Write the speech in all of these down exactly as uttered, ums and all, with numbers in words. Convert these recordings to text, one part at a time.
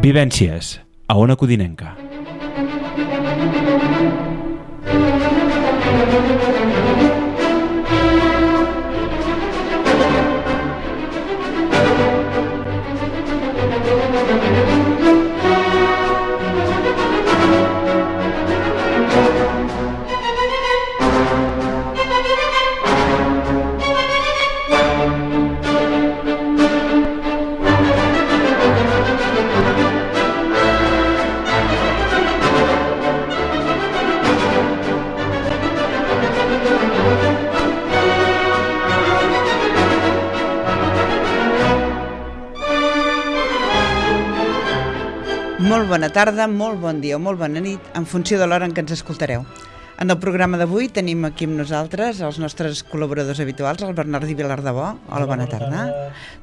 Vivències, a Ona Codinenca. Molt bona tarda, molt bon dia o molt bona nit, en funció de l'hora en què ens escoltareu. En el programa d'avui tenim aquí amb nosaltres els nostres col·laboradors habituals, el Bernardí Vilardebó. Hola, bona tarda.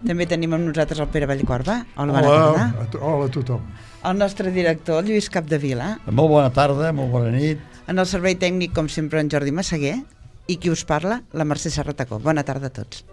També tenim amb nosaltres el Pere Vallcorba. Hola, bona tarda. Hola a tothom. El nostre director, Lluís Capdevila. Molt bona tarda, molt bona nit. En el servei tècnic, com sempre, en Jordi Massaguer. I qui us parla, la Mercè Serratacó. Bona tarda a tots.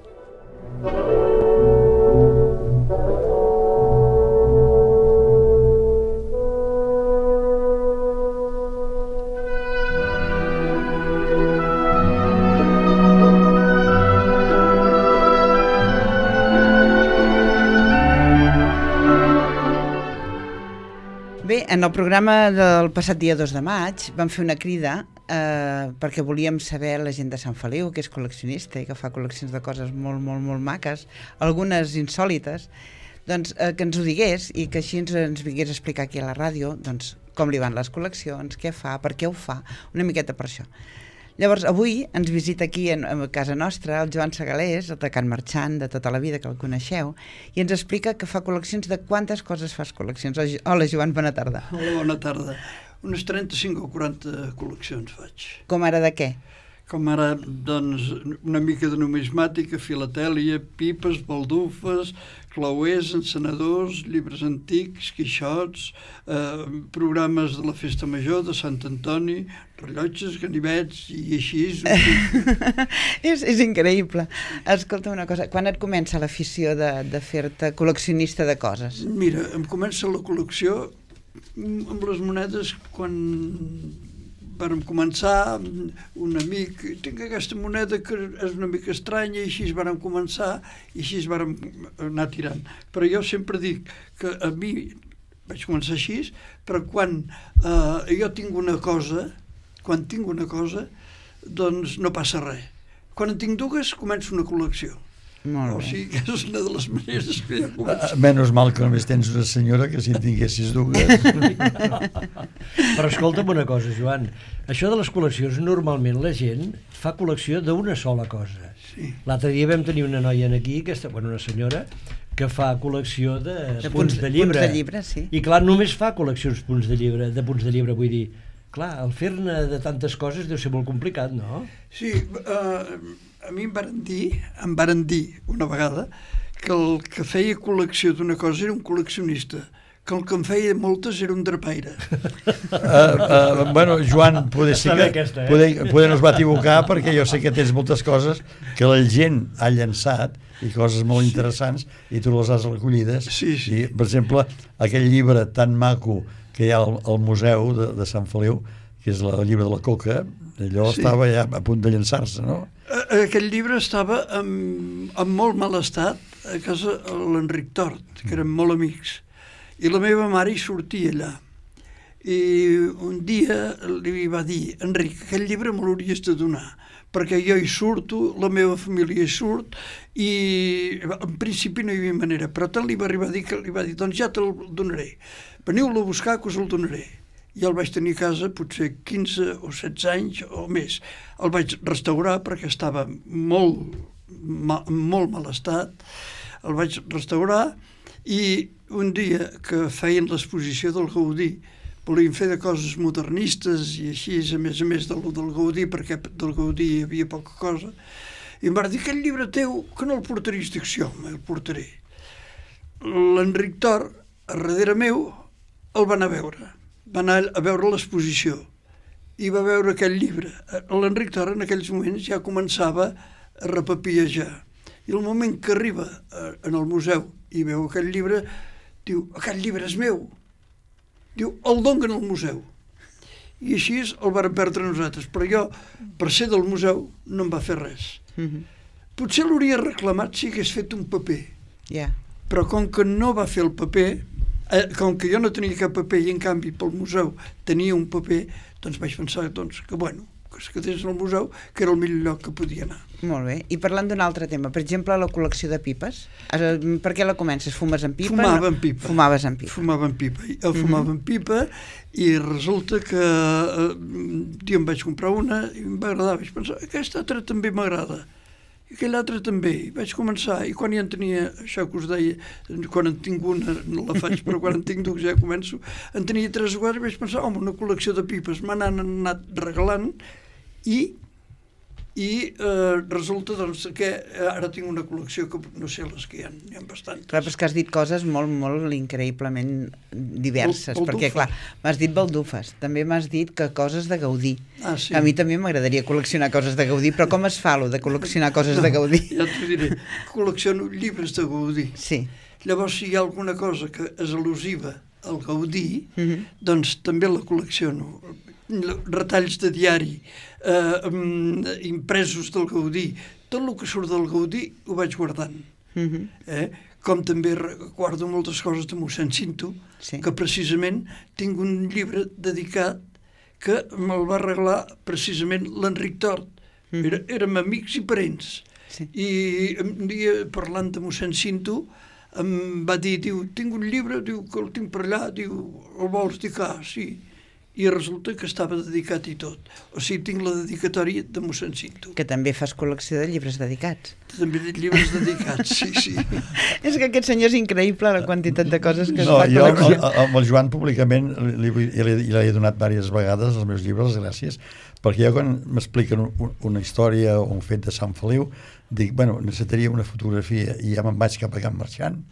Bé, en el programa del passat dia dos de maig vam fer una crida eh, perquè volíem saber la gent de Sant Feliu, que és col·leccionista i que fa col·leccions de coses molt, molt, molt maques, algunes insòlites, doncs eh, que ens ho digués i que així ens, ens vingués a explicar aquí a la ràdio doncs, com li van les col·leccions, què fa, per què ho fa, una miqueta per això. Llavors, avui ens visita aquí a casa nostra el Joan Segalés, el de Can Marxant, de tota la vida, que el coneixeu, i ens explica que fa col·leccions de quantes coses fas col·leccions. Hola, Joan, bona tarda. Hola, bona tarda. Unes trenta-cinc o quaranta col·leccions faig. Com ara de què? Com ara, doncs, una mica de numismàtica, filatèlia, pipes, baldufes, clauers, encenedors, llibres antics, quixots, eh, programes de la Festa Major, de Sant Antoni, rellotges, ganivets i així. és, és increïble. Escolta una cosa, quan et comença l'afició de, de fer-te col·leccionista de coses? Mira, em comença la col·lecció amb les monedes quan vàrem començar, un amic, tinc aquesta moneda que és una mica estranya, i així vàrem començar, i així vàrem anar tirant. Però jo sempre dic que a mi, vaig començar així, però quan eh, jo tinc una cosa, quan tinc una cosa, doncs no passa res. Quan en tinc dues, començo una col·lecció. Molt bé. O sigui que és una de les maneres que ja començo. Menys mal que només tens una senyora, que si en tinguessis dues. Però escolta'm una cosa, Joan, això de les col·leccions, normalment la gent fa col·lecció d'una sola cosa. Sí. L'altre dia vam tenir una noia aquí, aquesta, bueno, una senyora, que fa col·lecció de, de punts, punts de llibre. Punts de llibre, sí. I clar, només fa col·leccions punts de llibre, de punts de llibre, vull dir, clar, el fer-ne de tantes coses deu ser molt complicat, no? Sí, eh, a mi em varen dir, em varen dir una vegada que el que feia col·lecció d'una cosa era un col·leccionista, que el que en feia moltes era un drapaire. Uh, uh, bueno, Joan, poder ser que aquesta, eh? poder, poder no es va equivocar, perquè jo sé que tens moltes coses que la gent ha llançat i coses molt interessants, i tu les has recollides. Sí, sí. I, per exemple, aquell llibre tan maco que hi ha al, al museu de, de Sant Feliu, que és el llibre de la Coca, allò sí. Estava ja a punt de llançar-se, no? Aquell llibre estava en, en molt mal estat a casa de l'Enric Tort, que eren molt amics, i la meva mare hi sortia allà. I un dia li va dir: Enric, aquell llibre me l'hauries de donar, perquè jo hi surto, la meva família hi surt, i en principi no hi havia manera, però tant li va arribar a dir que li va dir: doncs ja te'l donaré, veniu-lo a buscar que us el donaré. I el vaig tenir a casa potser quinze o setze anys o més. El vaig restaurar perquè estava molt, ma, molt mal estat. El vaig restaurar i un dia que feien l'exposició del Gaudí, volien fer de coses modernistes i així, a més a més del, del Gaudí, perquè del Gaudí hi havia poca cosa, i em va dir: aquell llibre teu, que no el portaries? Dic: sí, home, el portaré. L'Enric Tort, a darrere meu, el van a veure. Va anar a veure l'exposició i va veure aquell llibre. L'Enric Tort en aquells moments ja començava a repapiejar. I el moment que arriba en el museu i veu aquell llibre, diu, aquest llibre és meu. Diu, el donen al museu. I així el varen perdre nosaltres, però jo, per ser del museu, no em va fer res. Mhm. Potser l'hauria reclamat si hagués fet un paper, Ja. però com que no va fer el paper, eh, com que jo no tenia cap paper i en canvi pel museu tenia un paper, doncs vaig pensar doncs, que bueno, que es quedés al museu, que era el millor lloc que podia anar. Molt bé. I parlant d'un altre tema, per exemple, la col·lecció de pipes. Eh, Per què la comences? Fumes en pipa? Fumava en pipa. Fumaves en pipa. Fumava en pipa. Jo fumava en pipa i resulta que eh, un dia em vaig comprar una i em va agradar. Vaig pensar, aquesta altra també m'agrada. I aquella altra també. I vaig començar. I quan ja en tenia, això que us deia, quan en tinc una, no la faig, però quan en tinc dues ja començo, en tenia tres o quatre i vaig pensar, home, una col·lecció de pipes. Me n'han anat regalant i i eh, resulta doncs, que ara tinc una col·lecció que no sé les que hi ha, n'hi ha bastantes. Clar, però és que has dit coses molt, molt increïblement diverses, Bal- perquè clar, m'has dit baldufes, també m'has dit que coses de Gaudí. Ah, sí. A mi també m'agradaria col·leccionar coses de Gaudí, però com es fa, lo de col·leccionar coses de Gaudí? Ja t'ho diré, col·lecciono llibres de Gaudí. Sí. Llavors, si hi ha alguna cosa que és al·lusiva al Gaudí, Mhm. doncs també la col·lecciono. Retalls de diari, eh, um, impresos del Gaudí, tot el que surt del Gaudí ho vaig guardant. Mhm. Eh? Com també re- guardo moltes coses de mossèn Cinto, Sí. que precisament tinc un llibre dedicat que me'l va regalar precisament l'Enric Tort. Mhm. Era, érem amics i parents. Sí. I un dia, parlant de mossèn Cinto, em va dir, diu, tinc un llibre, diu, que el tinc per allà, diu, el vols? Dic, ah, sí. I resulta que estava dedicat i tot. O sigui, tinc la dedicatòria de mossèn Cinto. Que també fas col·lecció de llibres dedicats. També de llibres dedicats, sí, sí. És que aquest senyor és increïble, la quantitat de coses que es No, fa jo col·lecció. a- a- amb el Joan públicament li, li, li, li he donat diverses vegades els meus llibres, gràcies, perquè jo quan m'expliquen un, una història o un fet de Sant Feliu, dic, bueno, necessitaria una fotografia i ja me'n vaig cap a Can Marxant,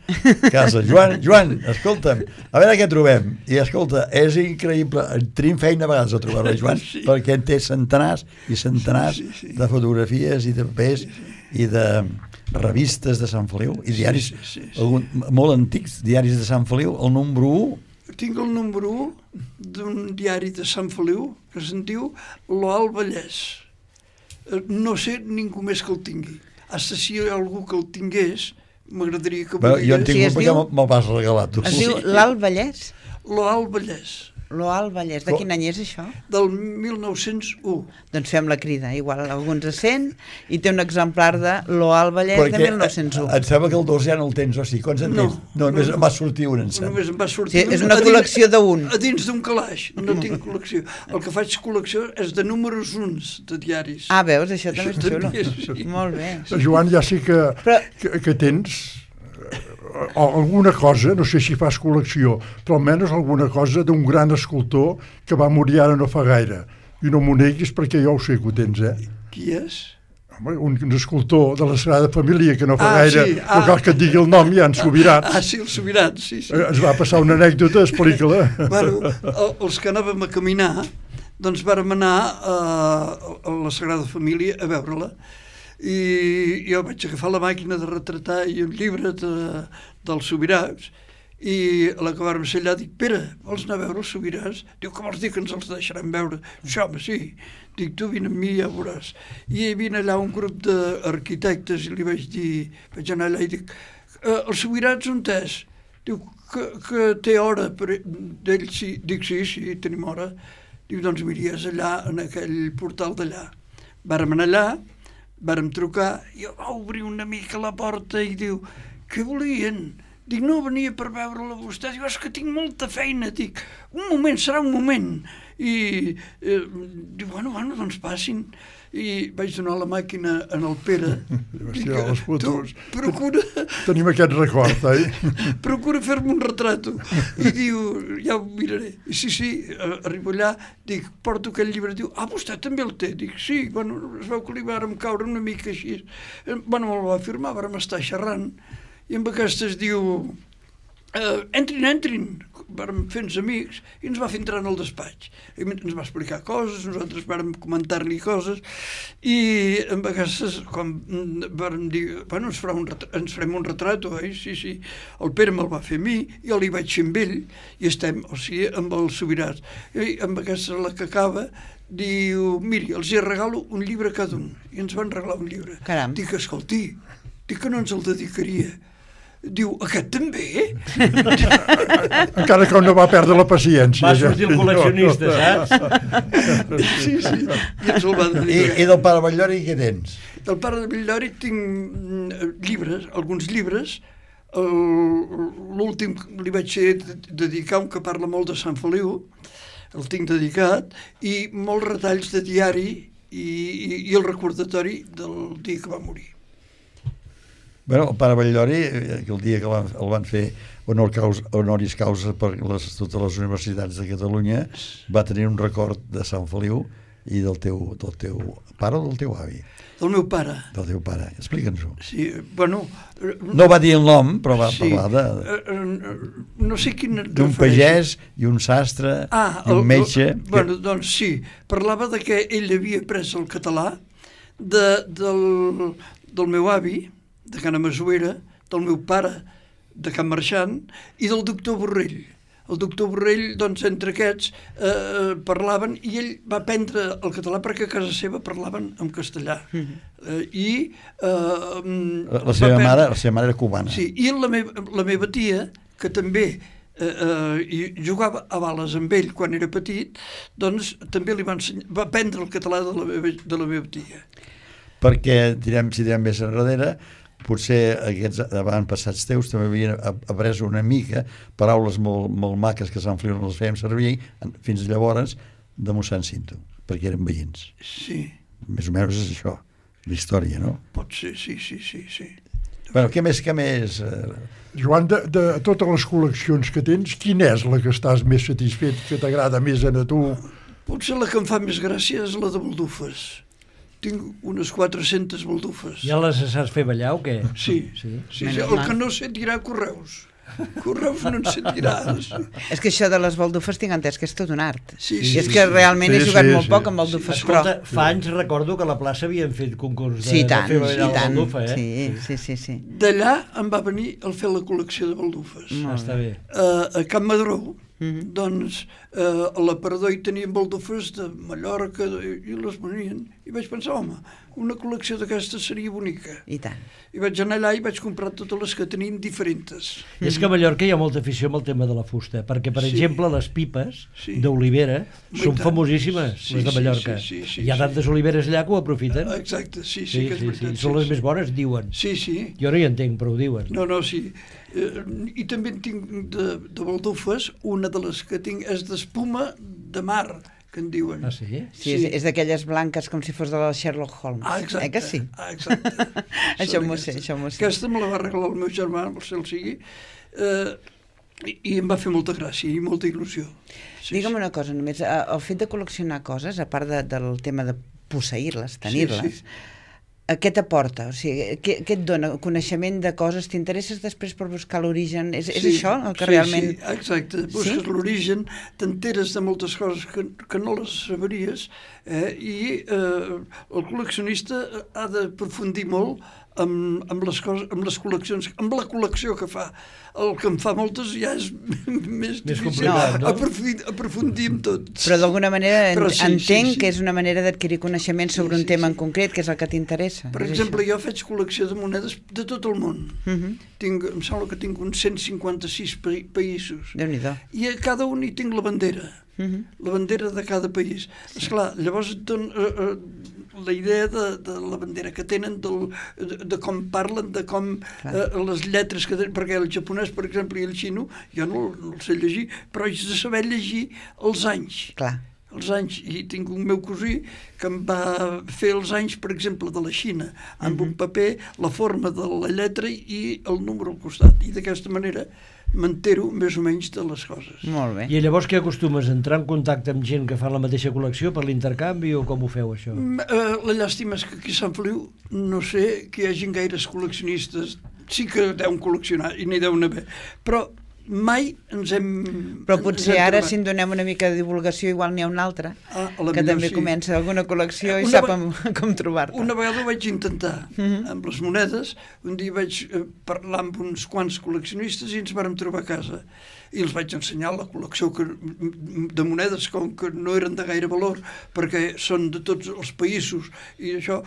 casa, Joan, Joan, escolta'm, a veure què trobem. I escolta, és increïble, tenim feina a vegades a trobar-la, Joan, Sí. perquè en té centenars i centenars Sí, sí, sí. de fotografies i de papers i de revistes de Sant Feliu i diaris Sí, sí, sí, sí. algun, molt antics, diaris de Sant Feliu, el número u. Tinc el número u d'un diari de Sant Feliu que se'n diu L'Alt Vallès. Eh, No sé ningú més que el tingui. Hasta si hi ha algú que el tingués, m'agradaria que Bé, jo en volgués. tinc Sí, un es perquè diu- me'l me'l vas regalar tu. Es diu l'Alt Vallès? L'Alt Vallès, L'Alt Vallès. De Co- quin any és això? del mil nou-cents u. Doncs fem la crida, igual alguns es sent, i té un exemplar de l'Alt Vallès de mil nou-cents u. eh, em sembla que el dos ja no el tens, o sigui, quants en No, tens? No, només no, em no. va sortir un, em sembla. Només em va sortir Sí, és un una a dins- col·lecció d'un. A dins d'un calaix, no tinc col·lecció. El que faig col·lecció és de números uns de diaris. Ah, veus, això també és Això xulo. també és, sí. Molt bé. Joan, ja sé que, Però- que, que tens eh, alguna cosa, no sé si fas col·lecció, però almenys alguna cosa d'un gran escultor que va morir ara no fa gaire. I no m'ho neguis perquè jo ho sé que ho tens, eh? Qui és? Home, un, un escultor de la Sagrada Família que no fa Ah, gaire, sí, no ah. cal que et digui el nom, ja en Subirats. Ah, sí, el Sobirat, sí, sí. Eh, Ens va passar una anècdota, explica-la. Bueno, el- els que anàvem a caminar, doncs vàrem anar a, a la Sagrada Família a veure-la. I jo vaig agafar la màquina de retratar i un llibre de, dels Sobirats, i a la que vàrem ser allà dic, Pere, vols anar a veure els Sobirats? Diu, que vols dir que ens els deixaran veure? Sí, home, sí. Dic, tu vine amb mi i ja veuràs. I hi havia allà un grup d'arquitectes i li vaig dir, vaig anar allà i dic, eh, els Sobirats on és? Diu, que, que té hora per d'ell, sí. Dic, sí, sí, tenim hora. Diu, doncs mires allà, en aquell portal d'allà. Vàrem anar allà, vàrem trucar, i va obrir una mica la porta i diu, què volien? Dic, no, venia per veure-la vostè. Diu, és que tinc molta feina. Dic, un moment, serà un moment. I eh, diu, bueno, bueno, doncs passin. I vaig donar la màquina en el Pere. Dic, Hòstia, les fotos. tu procura, Tenim aquest record, eh? procura fer-me un retrato. I diu, ja ho miraré. I sí, sí, eh, arribo allà, dic, porto aquell llibre. Diu, ah, vostè també el té? Dic, sí, bueno, es veu que li vàrem caure una mica així. Eh, Bueno, me'l va firmar, vàrem estar xerrant. I amb aquestes diu, eh, entrin, entrin, vam fer-nos amics i ens va fer entrar en el despatx. I ens va explicar coses, nosaltres vam comentar-li coses i en vegades, quan vam dir, bueno, ens, farà un ens farem un retrat, oi? Sí, sí. El Pere me'l va fer a mi, jo li vaig fer amb ell i estem, o sigui, amb els Subirats. I en vegades la que acaba diu, miri, els hi regalo un llibre cada un. I ens van regalar un llibre. Caram. Dic, escolti, dic que no ens el dedicaria. Diu, aquest també? Encara que no va perdre la paciència. Va sortir el col·leccionista, saps? Sí, sí. I ens el va I, dedicar. I del pare Batllori què tens? Del pare de Batllori tinc llibres, alguns llibres. L'últim li vaig fer dedicar un que parla molt de Sant Feliu, el tinc dedicat, i molts retalls de diari i, i, i el recordatori del dia que va morir. Bueno, el pare Batllori, el dia que el, el van fer honor causa, honoris causa per les, totes les universitats de Catalunya, va tenir un record de Sant Feliu i del teu, del teu pare o del teu avi? Del meu pare. Del teu pare, explica'ns-ho. Sí, bueno... No va dir el nom, però va sí, parlar de... No sé quin... D'un pagès i un sastre ah, i un el, metge... El, bueno, doncs sí, parlava de que ell havia pres el català de, del, del meu avi, de Cana Masuera, del meu pare, de Can Marxant, i del doctor Borrell. El doctor Borrell, doncs, entre aquests, eh, parlaven, i ell va aprendre el català perquè a casa seva parlaven en castellà. Eh, I... Eh, la, la, seva mare, la seva mare era cubana. Sí, i la, me la meva tia, que també eh, eh, jugava a bales amb ell quan era petit, doncs també li va, ensenyar, va aprendre el català de la meva, de la meva tia. Perquè, direm, si direm més enrere, potser aquests avantpassats teus també havien après una mica paraules molt, molt maques que a Sant Feliu no les fèiem servir fins llavors de mossèn Cinto, perquè eren veïns. Sí. Més o menys és això, la història, no? Pot ser, sí, sí, sí, sí. Bueno, què més, què més? Joan, de, de totes les col·leccions que tens, quina és la que estàs més satisfet, que t'agrada més a tu? Potser la que em fa més gràcia és la de baldufes. Tinc unes quatre-centes baldufes. Ja les saps fer ballar o què? Sí, sí, sí, sí. El que no sé tirar correus. Correus no en sé tirar. És que això de les baldufes tinc entès que és tot un art. Sí, I sí, és que sí. realment Sí, he jugat sí, molt sí. poc amb baldufes, Escolta, però... fa anys recordo que a la plaça havien fet concurs de, Sí, tant, de fer ballar i la tant. baldufa, eh? Sí, sí, sí, sí. D'allà em va venir el fer la col·lecció de baldufes. Ah, està bé. Uh, a Can Madró, Mhm. doncs, uh, a l'aparador hi tenien baldufes de Mallorca de, i les venien. I vaig pensar, home, una col·lecció d'aquestes seria bonica. I tant. I vaig anar allà i vaig comprar totes les que tenien diferents. I és que a Mallorca hi ha molta afició amb el tema de la fusta, perquè, per Sí. exemple, les pipes Sí. d'olivera I són tant. famosíssimes, Sí, les de sí, Mallorca. sí, sí, sí, hi ha sí. tantes oliveres allà que ho aprofiten. Exacte, sí, sí, Sí, que és sí, sí. veritat. Són les sí, més bones, diuen. Sí, sí. Jo no hi entenc, però ho diuen. No, no, sí. Eh, I també en tinc de, de baldufes, una de les que tinc és d'espuma de mar, que en diuen. Ah, sí? Sí, és, és d'aquelles blanques com si fos de la Sherlock Holmes. Ah, exacte. Eh que sí? Ah, exacte. Això Són m'ho sé, aquestes. això m'ho sé. Aquesta me la va regalar el meu germà, el cel sigui, eh, i, i em va fer molta gràcia i molta il·lusió. Sí, Digue'm sí. una cosa només, eh, el fet de col·leccionar coses, a part de, del tema de posseir-les, tenir-les, Sí, sí. eh, què t'aporta? O sigui, què, què et dona? Coneixement de coses? T'interesses després per buscar l'origen? És, és Sí, això el que sí, realment... Sí, exacte. Busques Sí? l'origen, t'enteres de moltes coses que, que no les saberies, eh? I eh, el col·leccionista ha d'aprofundir molt amb, amb, les coses, amb les col·leccions, amb la col·lecció que fa. El que en fa moltes ja és més difícil complicat, no? aprofundir, aprofundir en tot. Però d'alguna manera en, Però sí, entenc sí, sí. que és una manera d'adquirir coneixement sobre Sí, un sí, tema sí. en concret, que és el que t'interessa. Per és exemple, això. jo faig col·lecció de monedes de tot el món. Uh -huh. Tinc, em sembla que tinc uns cent cinquanta-sis pa països. Déu-n'hi-do. I a cada un hi tinc la bandera. Uh -huh. La bandera de cada país. Sí. Esclar, llavors et dona eh, eh, la idea de, de la bandera que tenen, del, de, de com parlen, de com eh, les lletres que tenen, perquè el japonès, per exemple, i el xino, jo no, no el sé llegir, però haig de saber llegir els anys. Clar. Els anys, i tinc un meu cosí que em va fer els anys, per exemple, de la Xina, amb uh -huh. un paper, la forma de la lletra i el número al costat, i d'aquesta manera m'entero més o menys de les coses. Molt bé. I llavors què acostumes? A entrar en contacte amb gent que fa la mateixa col·lecció per l'intercanvi o com ho feu, això? Mm, eh, la llàstima és que aquí a Sant Feliu no sé que hi hagin gaires col·leccionistes. Sí que deuen col·leccionar i n'hi deuen haver, però mai ens hem... Però potser ara, trobat. si en donem una mica de divulgació, igual n'hi ha una altra, ah, que també sí. comença alguna col·lecció i una sap amb, com trobar-te. Una vegada ho vaig intentar, uh -huh. amb les monedes. Un dia vaig eh, parlar amb uns quants col·leccionistes i ens vàrem trobar a casa. I els vaig ensenyar la col·lecció que, de monedes, com que no eren de gaire valor, perquè són de tots els països i això.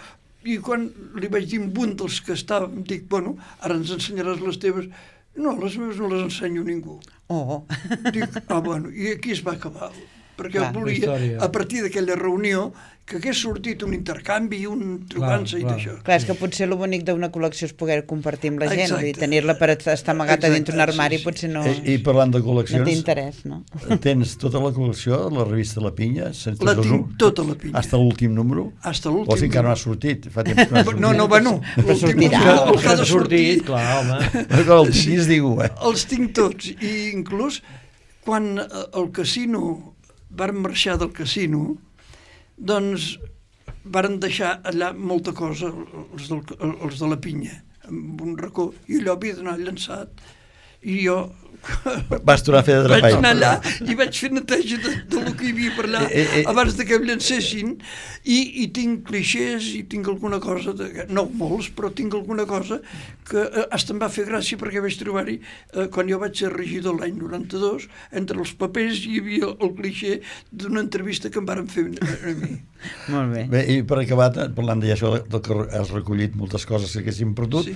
I quan li vaig dir a un dels que estàvem, dic, bueno, ara ens ensenyaràs les teves. No, les meves no les ensenyo a ningú. Oh. Dic, ah, bueno, i aquí es va acabar. Perquè Clar, volia, a partir d'aquella reunió, que hagués sortit un intercanvi, un trobant-se i d'això. Clar, és que potser el bonic d'una col·lecció és poder compartir amb la gent, Exacte. i tenir-la per estar amagata dintre un armari, sí, sí. potser no... I, I parlant de col·leccions... No té interès, no? Tens tota la col·lecció, la revista La Pinya? La tinc tota la Pinya. Hasta l'últim número? Hasta l'últim O si encara no ha sortit? Fa temps que no ha sortit. No, no, bueno, l'últim sortirà. número, el que ha Ha de sortir, clar, home. El sis, diu, eh? els tinc tots. I inclús, quan el casino, vàrem marxar del casino, doncs varen deixar allà molta cosa, els, del, els de la Pinya, amb un racó, i allò havia d'anar llançat, i jo... Vas tornar a fer de vaig trapall. anar allà i vaig fer neteja de, de lo que hi havia per allà eh, eh, abans de que em llancessin, i, i tinc clixés i tinc alguna cosa de, no molts, però tinc alguna cosa que eh, hasta em va fer gràcia, perquè vaig trobar-hi eh, quan jo vaig ser regidor l'any noranta-dos, entre els papers hi havia el clixé d'una entrevista que em varen fer a mi. Molt bé. Bé, i per acabar, parlant d'això del que has recollit moltes coses que haguéssim perdut, Sí.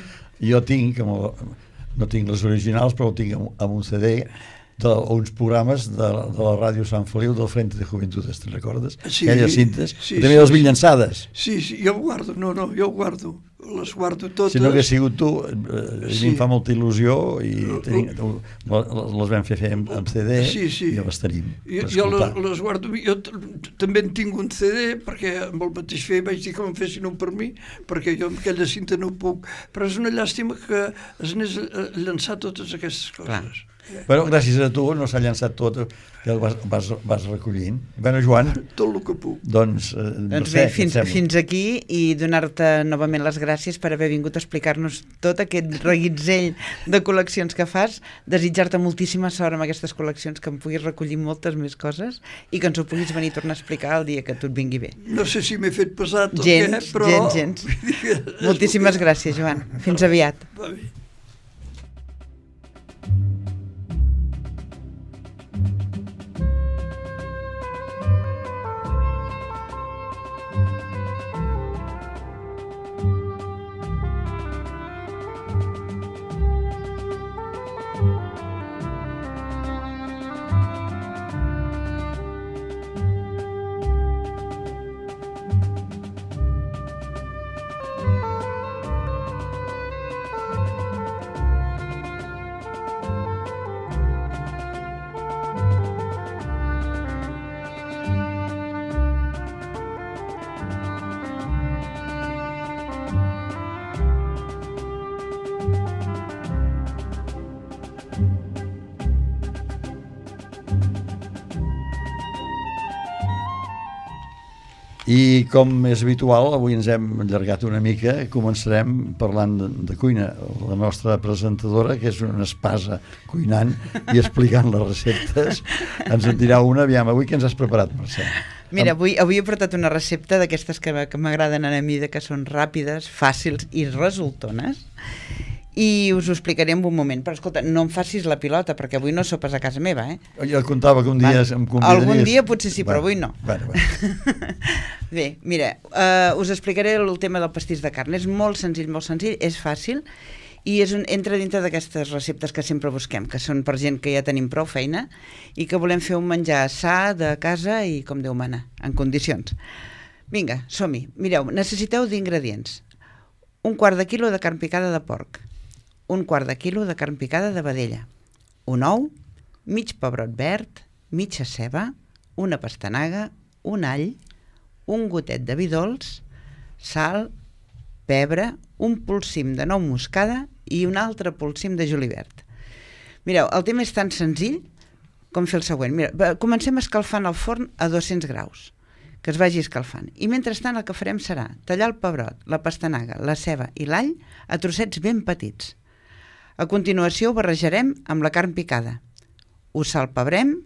jo tinc, no tinc les originals, però ho tinc amb un C D d'uns programes de, de la ràdio Sant Feliu del Frente de Juventudes, te'n recordes? Sí, Aquelles cintes, sí, també sí, les sí. vull llançades. Sí, sí, jo ho guardo, no, no, jo ho guardo, les guardo totes. Si no hagués sigut tu, eh, a Sí. mi em fa molta il·lusió i tenim, les vam fer fer amb, amb C D Sí, sí. i les tenim Jo, per jo les, escoltar. les guardo, jo t- també en tinc un C D, perquè amb el mateix fer vaig dir que me'n fessin un per mi, perquè jo amb aquella cinta no puc, però és una llàstima que es n'és a llançar totes aquestes coses. Clar. Però gràcies a tu no s'ha llançat tot, que el vas, vas, vas recollint. Bueno, Joan, Tot el que puc. doncs, eh, no Doncs sé, bé, què et fins, sembla? fins aquí, i donar-te novament les gràcies per haver vingut a explicar-nos tot aquest reguitzell de col·leccions que fas, desitjar-te moltíssima sort amb aquestes col·leccions, que em puguis recollir moltes més coses i que ens ho puguis venir a tornar a explicar el dia que tot vingui bé. No sé si m'he fet pesat o Gens, què, però... gens, gens. Moltíssimes gràcies, Joan. Fins aviat. Va bé. I com és habitual, avui ens hem allargat una mica, començarem parlant de, de cuina. La nostra presentadora, que és una espasa cuinant i explicant les receptes, ens en dirà una. Aviam, avui què ens has preparat, Mercè? Mira, avui, avui he portat una recepta d'aquestes que, que m'agraden a mi, que són ràpides, fàcils i resultones, i us ho explicaré en un moment. Però escolta, no em facis la pilota, perquè avui no sopes a casa meva, eh? Jo contava que un dia Va. em convidaries... Algun dia potser sí, però Va. avui no. Bueno, bueno. Bé, mira, uh, us explicaré el tema del pastís de carn. És molt senzill, molt senzill, és fàcil, i és un, entra dintre d'aquestes receptes que sempre busquem, que són per gent que ja tenim prou feina i que volem fer un menjar sa de casa i com Déu mana, en condicions. Vinga, som-hi. Mireu, necessiteu d'ingredients. Un quart de quilo de carn picada de porc, un quart de quilo de carn picada de vedella, un ou, mig pebrot verd, mitja ceba, una pastanaga, un all, un gotet de vi dolç, sal, pebre, un polsim de nou moscada i un altre polsim de julivert. Mireu, el tema és tan senzill com fer el següent. Mira, comencem escalfant el forn a dos-cents graus, que es vagi escalfant. I mentrestant el que farem serà tallar el pebrot, la pastanaga, la ceba i l'all a trossets ben petits. A continuació ho barrejarem amb la carn picada. Ho salpebrem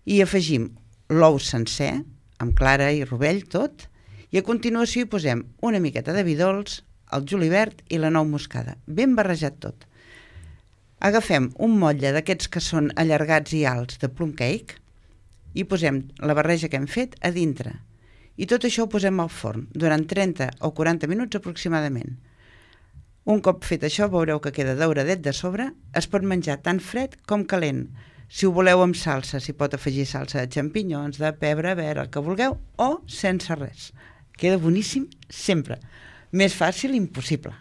i afegim l'ou sencer, amb clara i rovell tot, i a continuació hi posem una miqueta de vi dolç, el julivert i la nou moscada, ben barrejat tot. Agafem un motlle d'aquests que són allargats i alts de plum cake i posem la barreja que hem fet a dintre. I tot això ho posem al forn durant trenta o quaranta minuts aproximadament. Un cop fet això veureu que queda dauradet de sobre, es pot menjar tant fred com calent. Si ho voleu amb salsa, s'hi pot afegir salsa de xampinyons, de pebre verd, el que vulgueu, o sense res. Queda boníssim sempre. Més fàcil impossible.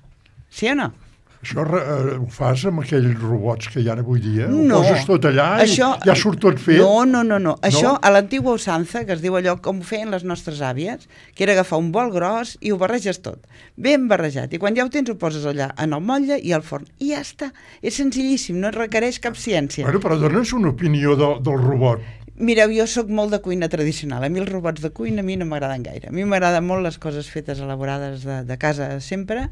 Sí o no? Això eh, ho fas amb aquells robots que hi ha avui dia? No. Ho poses tot allà això, i ja surt tot fet? No, no, no, no. Això no? a l'antigua usança, que es diu allò com ho feien les nostres àvies, que era agafar un bol gros i ho barreges tot. Ben barrejat. I quan ja ho tens ho poses allà en el motlle i al forn. I ja està. És senzillíssim, no requereix cap ciència. Bueno, però dona'ns una opinió de, del robot. Mireu, jo sóc molt de cuina tradicional. A mi els robots de cuina a mi no m'agraden gaire. A mi m'agraden molt les coses fetes elaborades de, de casa sempre,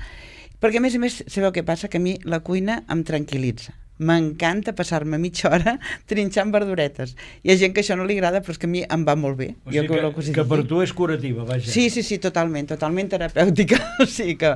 perquè a més a més, sabeu què passa? Que a mi la cuina em tranquil·litza. M'encanta passar-me mitja hora trinxant verduretes. Hi ha gent que això no li agrada, però és que a mi em va molt bé. O sigui jo que, que, que per tu és curativa, vaja. Sí, sí, sí, totalment, totalment terapèutica. O sigui que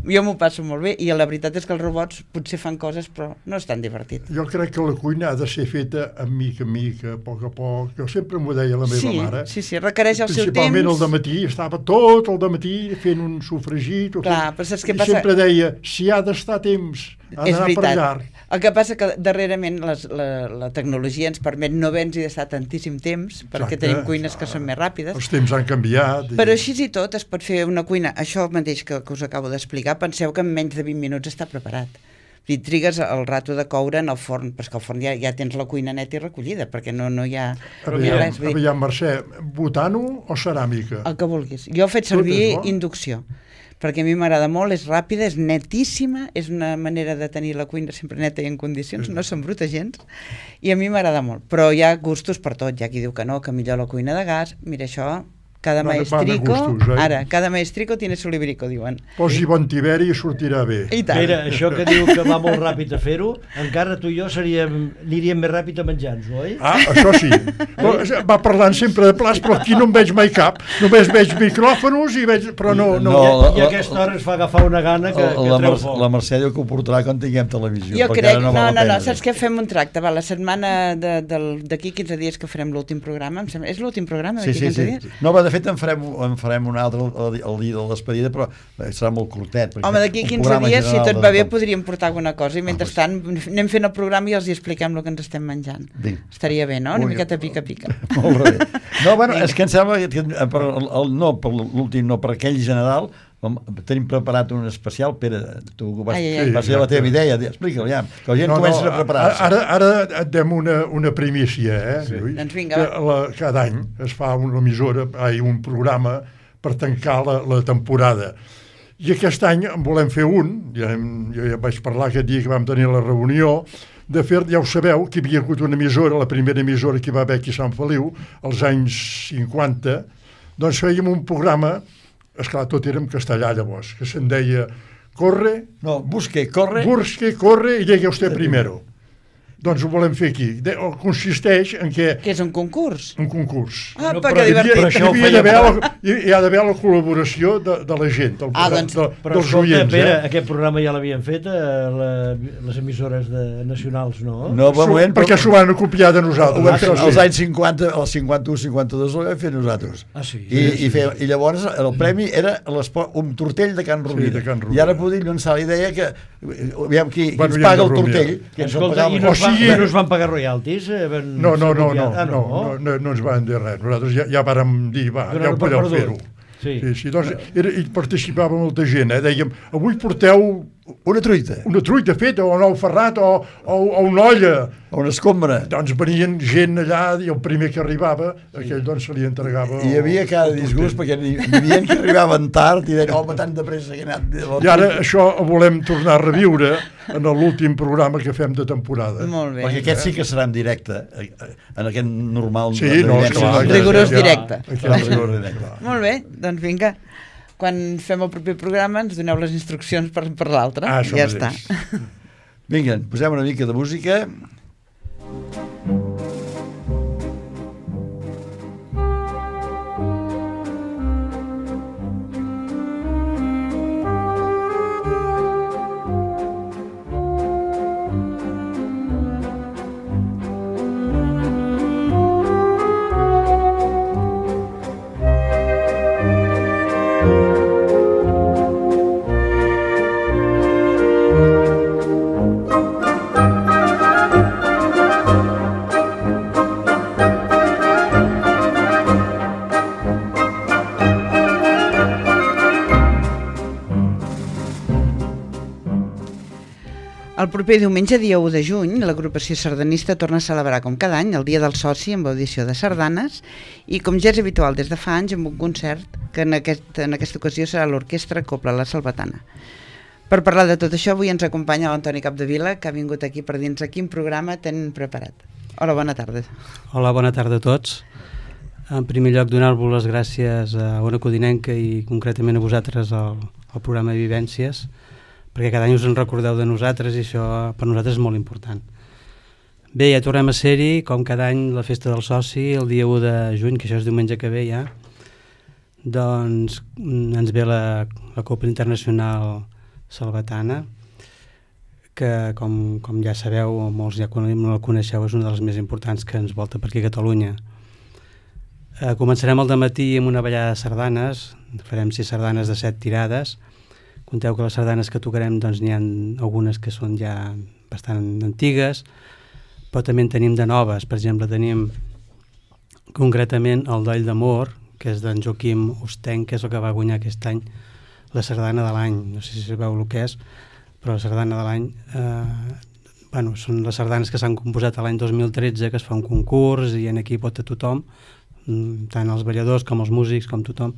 jo m'ho passo molt bé i la veritat és que els robots potser fan coses, però no és tan divertit. Jo crec que la cuina ha de ser feta a mica a mica, a poc a poc. Jo sempre m'ho deia la meva sí, mare. Sí, sí, requereix el seu temps. Principalment el dematí, estava tot el dematí fent un sofregit. Clar, però saps què I passa? sempre deia, si ha d'estar temps, ha d'anar per llarg. El que passa que darrerament les, la, la tecnologia ens permet no haver-nos d'estar tantíssim temps, perquè Exacte, tenim cuines que són més ràpides. Els temps han canviat. Però així i tot es pot fer una cuina, això mateix que, que us acabo d'explicar, penseu que en menys de vint minuts està preparat. I trigues el rato de coure en el forn, però és que al forn ja, ja tens la cuina neta i recollida, perquè no, no hi ha aviam, res. Dir... Aviam, Mercè, butano o ceràmica? El que vulguis. Jo he fet servir inducció, perquè a mi m'agrada molt, és ràpida, és netíssima, és una manera de tenir la cuina sempre neta i en condicions, no s'embruta gens, i a mi m'agrada molt. Però hi ha gustos per tot, hi ha qui diu que no, que millor la cuina de gas, mira això... Cada van, maestrico, van gustos, eh? ara, cada maestrico tiene su librico, diuen. Posi bon tiberi i sortirà bé. I tant. Mira, això que diu que va molt ràpid a fer-ho, encara tu i jo seríem, aniríem més ràpid a menjar-nos, oi? Ah, això sí. Però va parlant sempre de plats, però aquí no en veig mai cap. Només veig micròfonos i veig... Però no... no. no I, I a aquesta hora es fa agafar una gana que, que la, treu Mer foc. la Mercè diu que ho portarà quan tinguem televisió. Jo crec... No, no, no, no, saps què? què? Fem un tracte. Va, la setmana d'aquí quinze dies que farem l'últim programa, em sembla... És l'últim programa d'aquí sí, sí, quinze sí. dies? No, va, de fet en farem, en farem un altre el, el dia de despedida, però serà molt curtet. Home, d'aquí quinze dies, si tot va bé, podríem portar alguna cosa i mentrestant anem fent el programa i els hi expliquem el que ens estem menjant. Vinga. Estaria bé, no? Una miqueta pica-pica. Molt bé. No, bueno, és que em sembla que per el, el, no, per l'últim, no, per aquell general, tenim preparat un especial. Pere, tu vas, ai, ai, ai. va ser la teva idea, explica-ho ja, que la gent no, comença no, a preparar-se. Ara, ara et dem una, una primícia, eh, sí. Lluís? Doncs vinga, que la, cada any es fa una emissora, ai, un programa per tancar la, la temporada. I aquest any en volem fer un, ja, jo ja vaig parlar aquest dia que vam tenir la reunió, de fer, ja ho sabeu, que hi havia hagut una emissora, la primera emissora que hi va haver aquí a Sant Feliu, als anys cinquanta, doncs fèiem un programa, esclar, tot era en castellà llavors, que se'n deia corre... No, busque, corre... Busque, corre i llegue usted primero. Doncs ho volem fer aquí. De, consisteix en què... Que és un concurs? Un concurs. Ah, no, però però que divertit. per això hi, havia la, hi ha d'haver la col·laboració de, de la gent, del, ah, doncs, de, però dels escolta, oients. Pere, Eh? aquest programa ja l'havien fet a la, les emissores de, nacionals, no? No, Su, moment, perquè s'ho van copiar de Ho nosaltres. vam fer Ah, als sí. anys cinquanta, als cinquanta-u cinquanta-dos ho vam fer nosaltres. Ah, sí? I, i, fe, I llavors el premi era un tortell de Can Rovira. Sí, de Can Rovira. I ara podem llançar la idea que aviam qui, qui Bueno, ens paga el aviam de tortell. rumiar. Qui ens el Escolta, pagava. i no, O es van, sigui- no es van pagar royalties? Eh, van No, no, no, no, ah, no, no, no, no ens van dir res. Nosaltres ja, ja vàrem dir, va, Donar-ho ja ho per podeu perdut. fer-ho. Sí. Sí, sí, doncs era, hi participava molta gent, eh? Dèiem, avui porteu Una truita, una truita feta, o un ou ferrat, o, o, o una olla. o una escombra. Doncs venien gent allà i el primer que arribava, aquell doncs se li entregava... I hi havia cada disgust perquè hi havia que arribaven tard i deien, home, tan de pressa que he anat... I ara això ho volem tornar a reviure en l'últim programa que fem de temporada. Molt bé. Perquè aquest sí que serà en directe, eh, eh, en aquest normal... Sí, de no, directe. sí, Clar, sí, rigorós ja, directe. Serà en rigor directe. Molt bé, doncs vinga. Quan fem el proper programa ens doneu les instruccions per, per l'altre. Ah, això ja mateix. està. Vinga, posem una mica de música. El proper diumenge, dia u de juny, l'agrupació sardanista torna a celebrar com cada any el Dia del Soci amb audició de sardanes i, com ja és habitual des de fa anys, amb un concert que en, aquest, en aquesta ocasió serà l'Orquestra Copla La Salvatana. Per parlar de tot això, avui ens acompanya l'Antoni Capdevila, que ha vingut aquí per dir-nos quin programa tenen preparat. Hola, bona tarda. Hola, bona tarda a tots. En primer lloc, donar-vos les gràcies a Ona Codinenca i concretament a vosaltres al, al programa de Vivències, perquè cada any us en recordeu de nosaltres i això per nosaltres és molt important. Bé, ja tornem a ser-hi, com cada any, la festa del soci, el dia u de juny, que això és diumenge que ve ja, doncs ens ve la, la Copla Internacional Salvatana, que com, com ja sabeu, o molts ja no la coneixeu, és una de les més importants que ens volta per aquí a Catalunya. Eh, començarem al dematí amb una ballada de sardanes, farem sis sardanes de set tirades. Conteu que les sardanes que tocarem doncs n'hi ha algunes que són ja bastant antigues, però també en tenim de noves. Per exemple, tenim concretament el Doll d'Amor, que és d'en Joaquim Ostenc, que és el que va guanyar aquest any la sardana de l'any. No sé si sabeu el que és, però la sardana de l'any eh, bueno, són les sardanes que s'han composat l'any dos mil tretze, que es fa un concurs i en aquí pot a tothom, tant els balladors com els músics, com tothom,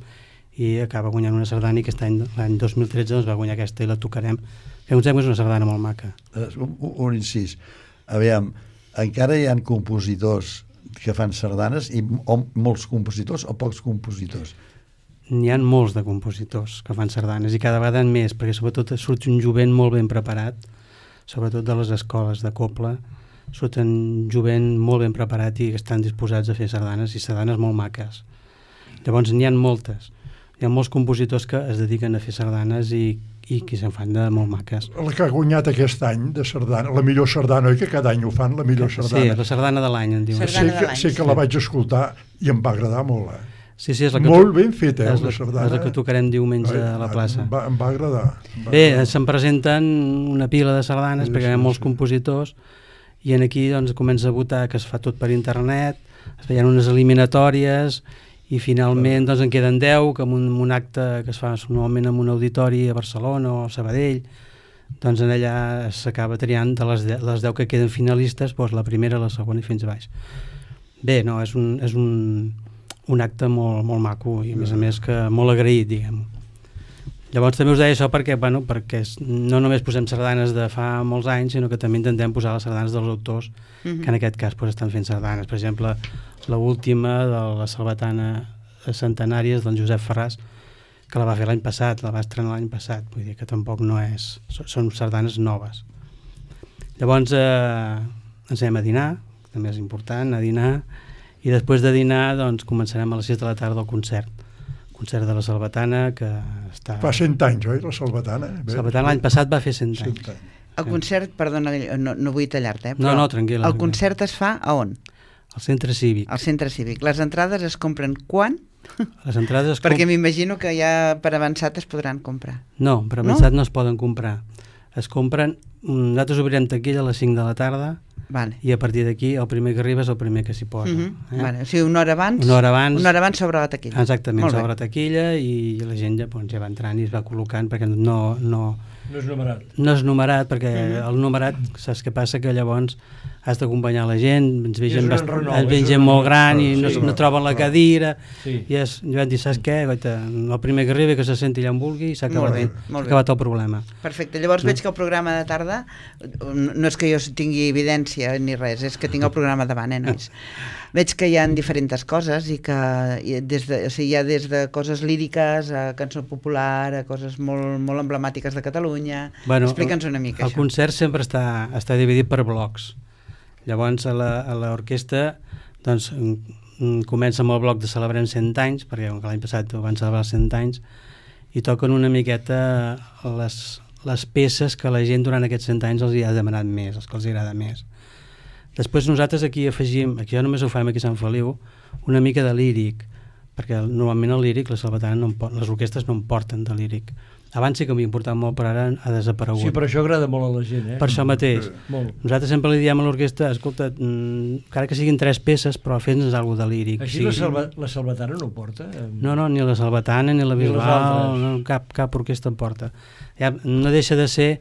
i acaba guanyant una sardana i aquest any, l'any dos mil tretze, doncs va guanyar aquesta i la tocarem. Que ens és una sardana molt maca. Un, un incís. Aviam, encara hi ha compositors que fan sardanes, i o molts compositors o pocs compositors? N'hi ha molts de compositors que fan sardanes i cada vegada en més, perquè sobretot surt un jovent molt ben preparat, sobretot de les escoles de Copla, surt un jovent molt ben preparat i que estan disposats a fer sardanes i sardanes molt maques. Llavors n'hi ha moltes. Hi ha molts compositors que es dediquen a fer sardanes i, i que se'n fan de molt maques. La que ha guanyat aquest any de sardana, la millor sardana, oi que cada any ho fan, la millor sardana? Sí, la sardana de l'any, en diuen. Sé que, sé que la vaig escoltar i em va agradar molt, eh? Sí, sí, és la que molt ben feta, eh, és la, la sardana. És la que tocarem diumenge a la plaça. Em va, em va agradar. Em va Bé, agradar. se'n presenten una pila de sardanes, sí, perquè hi ha molts sí. compositors, i en aquí doncs, comença a votar, que es fa tot per internet, es feien unes eliminatòries, i finalment doncs, en queden deu, que en un, un acte que es fa normalment en un auditori a Barcelona o a Sabadell, doncs en allà s'acaba triant de les, de, les deu que queden finalistes, doncs la primera, la segona i fins a baix. Bé, no, és un, és un, un acte molt, molt maco i a més a més que molt agraït, diguem. Llavors també us deia això perquè, bueno, perquè no només posem sardanes de fa molts anys, sinó que també intentem posar les sardanes dels autors, mm-hmm. que en aquest cas pues, estan fent sardanes. Per exemple, l'última de la Salvatana Centenàries d'en Josep Ferràs, que la va fer l'any passat, la va estrenar l'any passat, vull dir que tampoc no és... Són sardanes noves. Llavors eh, ens anem a dinar, també és important, a dinar, i després de dinar doncs, començarem a les sis de la tarda el concert. Concert de la Salvatana, que està... Fa cent anys, oi, la Salvatana? La Salvatana l'any passat va fer cent anys. cent anys. El concert, perdona, no, no vull tallar-te, eh, però no, no, tranquil·la. El concert es fa a on? Al centre cívic. Al centre cívic. Les entrades es compren quan? Les entrades es Perquè comp... m'imagino que ja per avançat es podran comprar. No, per avançat no, no es poden comprar. Es compren... Nosaltres obrirem taquilla a les cinc de la tarda, vale. I a partir d'aquí el primer que arriba és el primer que s'hi posa. Uh-huh. eh? Vale. O sigui, una hora abans, una hora abans, una hora abans s'obre la taquilla. Exactament, s'obre taquilla i la gent ja, doncs, ja va entrant i es va col·locant perquè no... No, no és numerat. No és numerat perquè uh-huh. el numerat, saps què passa? Que llavors has d'acompanyar la gent, ens ve I és gent, un bast... enrenou, ens ve és gent un molt gran i enrenou, no, sí, no troben la cadira, Sí. i és, jo vam dir, saps què? Goita, el primer que arribi que se senti allà on vulgui i s'ha Molt acabat, bé, s'ha molt bé. acabat el problema. Perfecte, llavors No. veig que el programa de tarda no és que jo tingui evidència ni res, és que tinc el programa davant, eh, nois? Veig que hi ha diferents coses i que i des de, o sigui, hi ha des de coses líriques a cançó popular, a coses molt, molt emblemàtiques de Catalunya. Bueno, Explica'ns una mica el això. concert sempre està, està dividit per blocs. Llavors a la- a l'orquestra doncs, mm, mm, comença amb el bloc de Celebrem cent anys, perquè com que l'any passat van celebrar cent anys, i toquen una miqueta les, les peces que la gent durant aquests cent anys els hi ha demanat més, els que els agrada més. Després nosaltres aquí afegim, aquí ja només ho fem aquí a Sant Feliu, una mica de líric, perquè normalment el líric, la salvatana, no en po- les orquestres no en porten de líric. Abans sí que m'hi importava molt, però ara ha desaparegut. Sí, però això agrada molt a la gent, eh? Per això mateix. Molt. Nosaltres sempre li diem a l'orquestra, escolta, mm, encara que siguin tres peces, però fes-nos alguna de líric. Així Sí. la, salva, la salvatana no ho porta? No, no, ni la salvatana, ni la Ni les Bisbal, altres. no, cap, cap orquestra en porta. Ja, no deixa de ser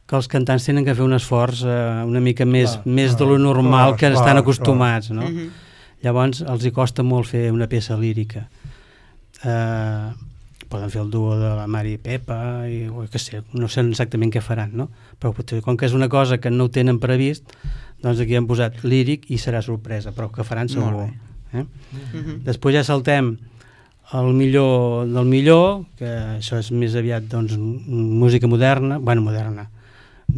que els cantants tenen que fer un esforç eh, una mica més, Clar, més de clar, lo normal clar, que clar, estan clar. acostumats, no? Mhm. Llavors els hi costa molt fer una peça lírica. Eh, poden fer el duo de la Mari i Pepa i, o què sé, no sé exactament què faran, no? Però potser, com que és una cosa que no ho tenen previst, doncs aquí han posat líric i serà sorpresa, però que faran segur. Molt Eh? Mhm. Després ja saltem el millor del millor, que això és més aviat doncs, música moderna, bueno, moderna,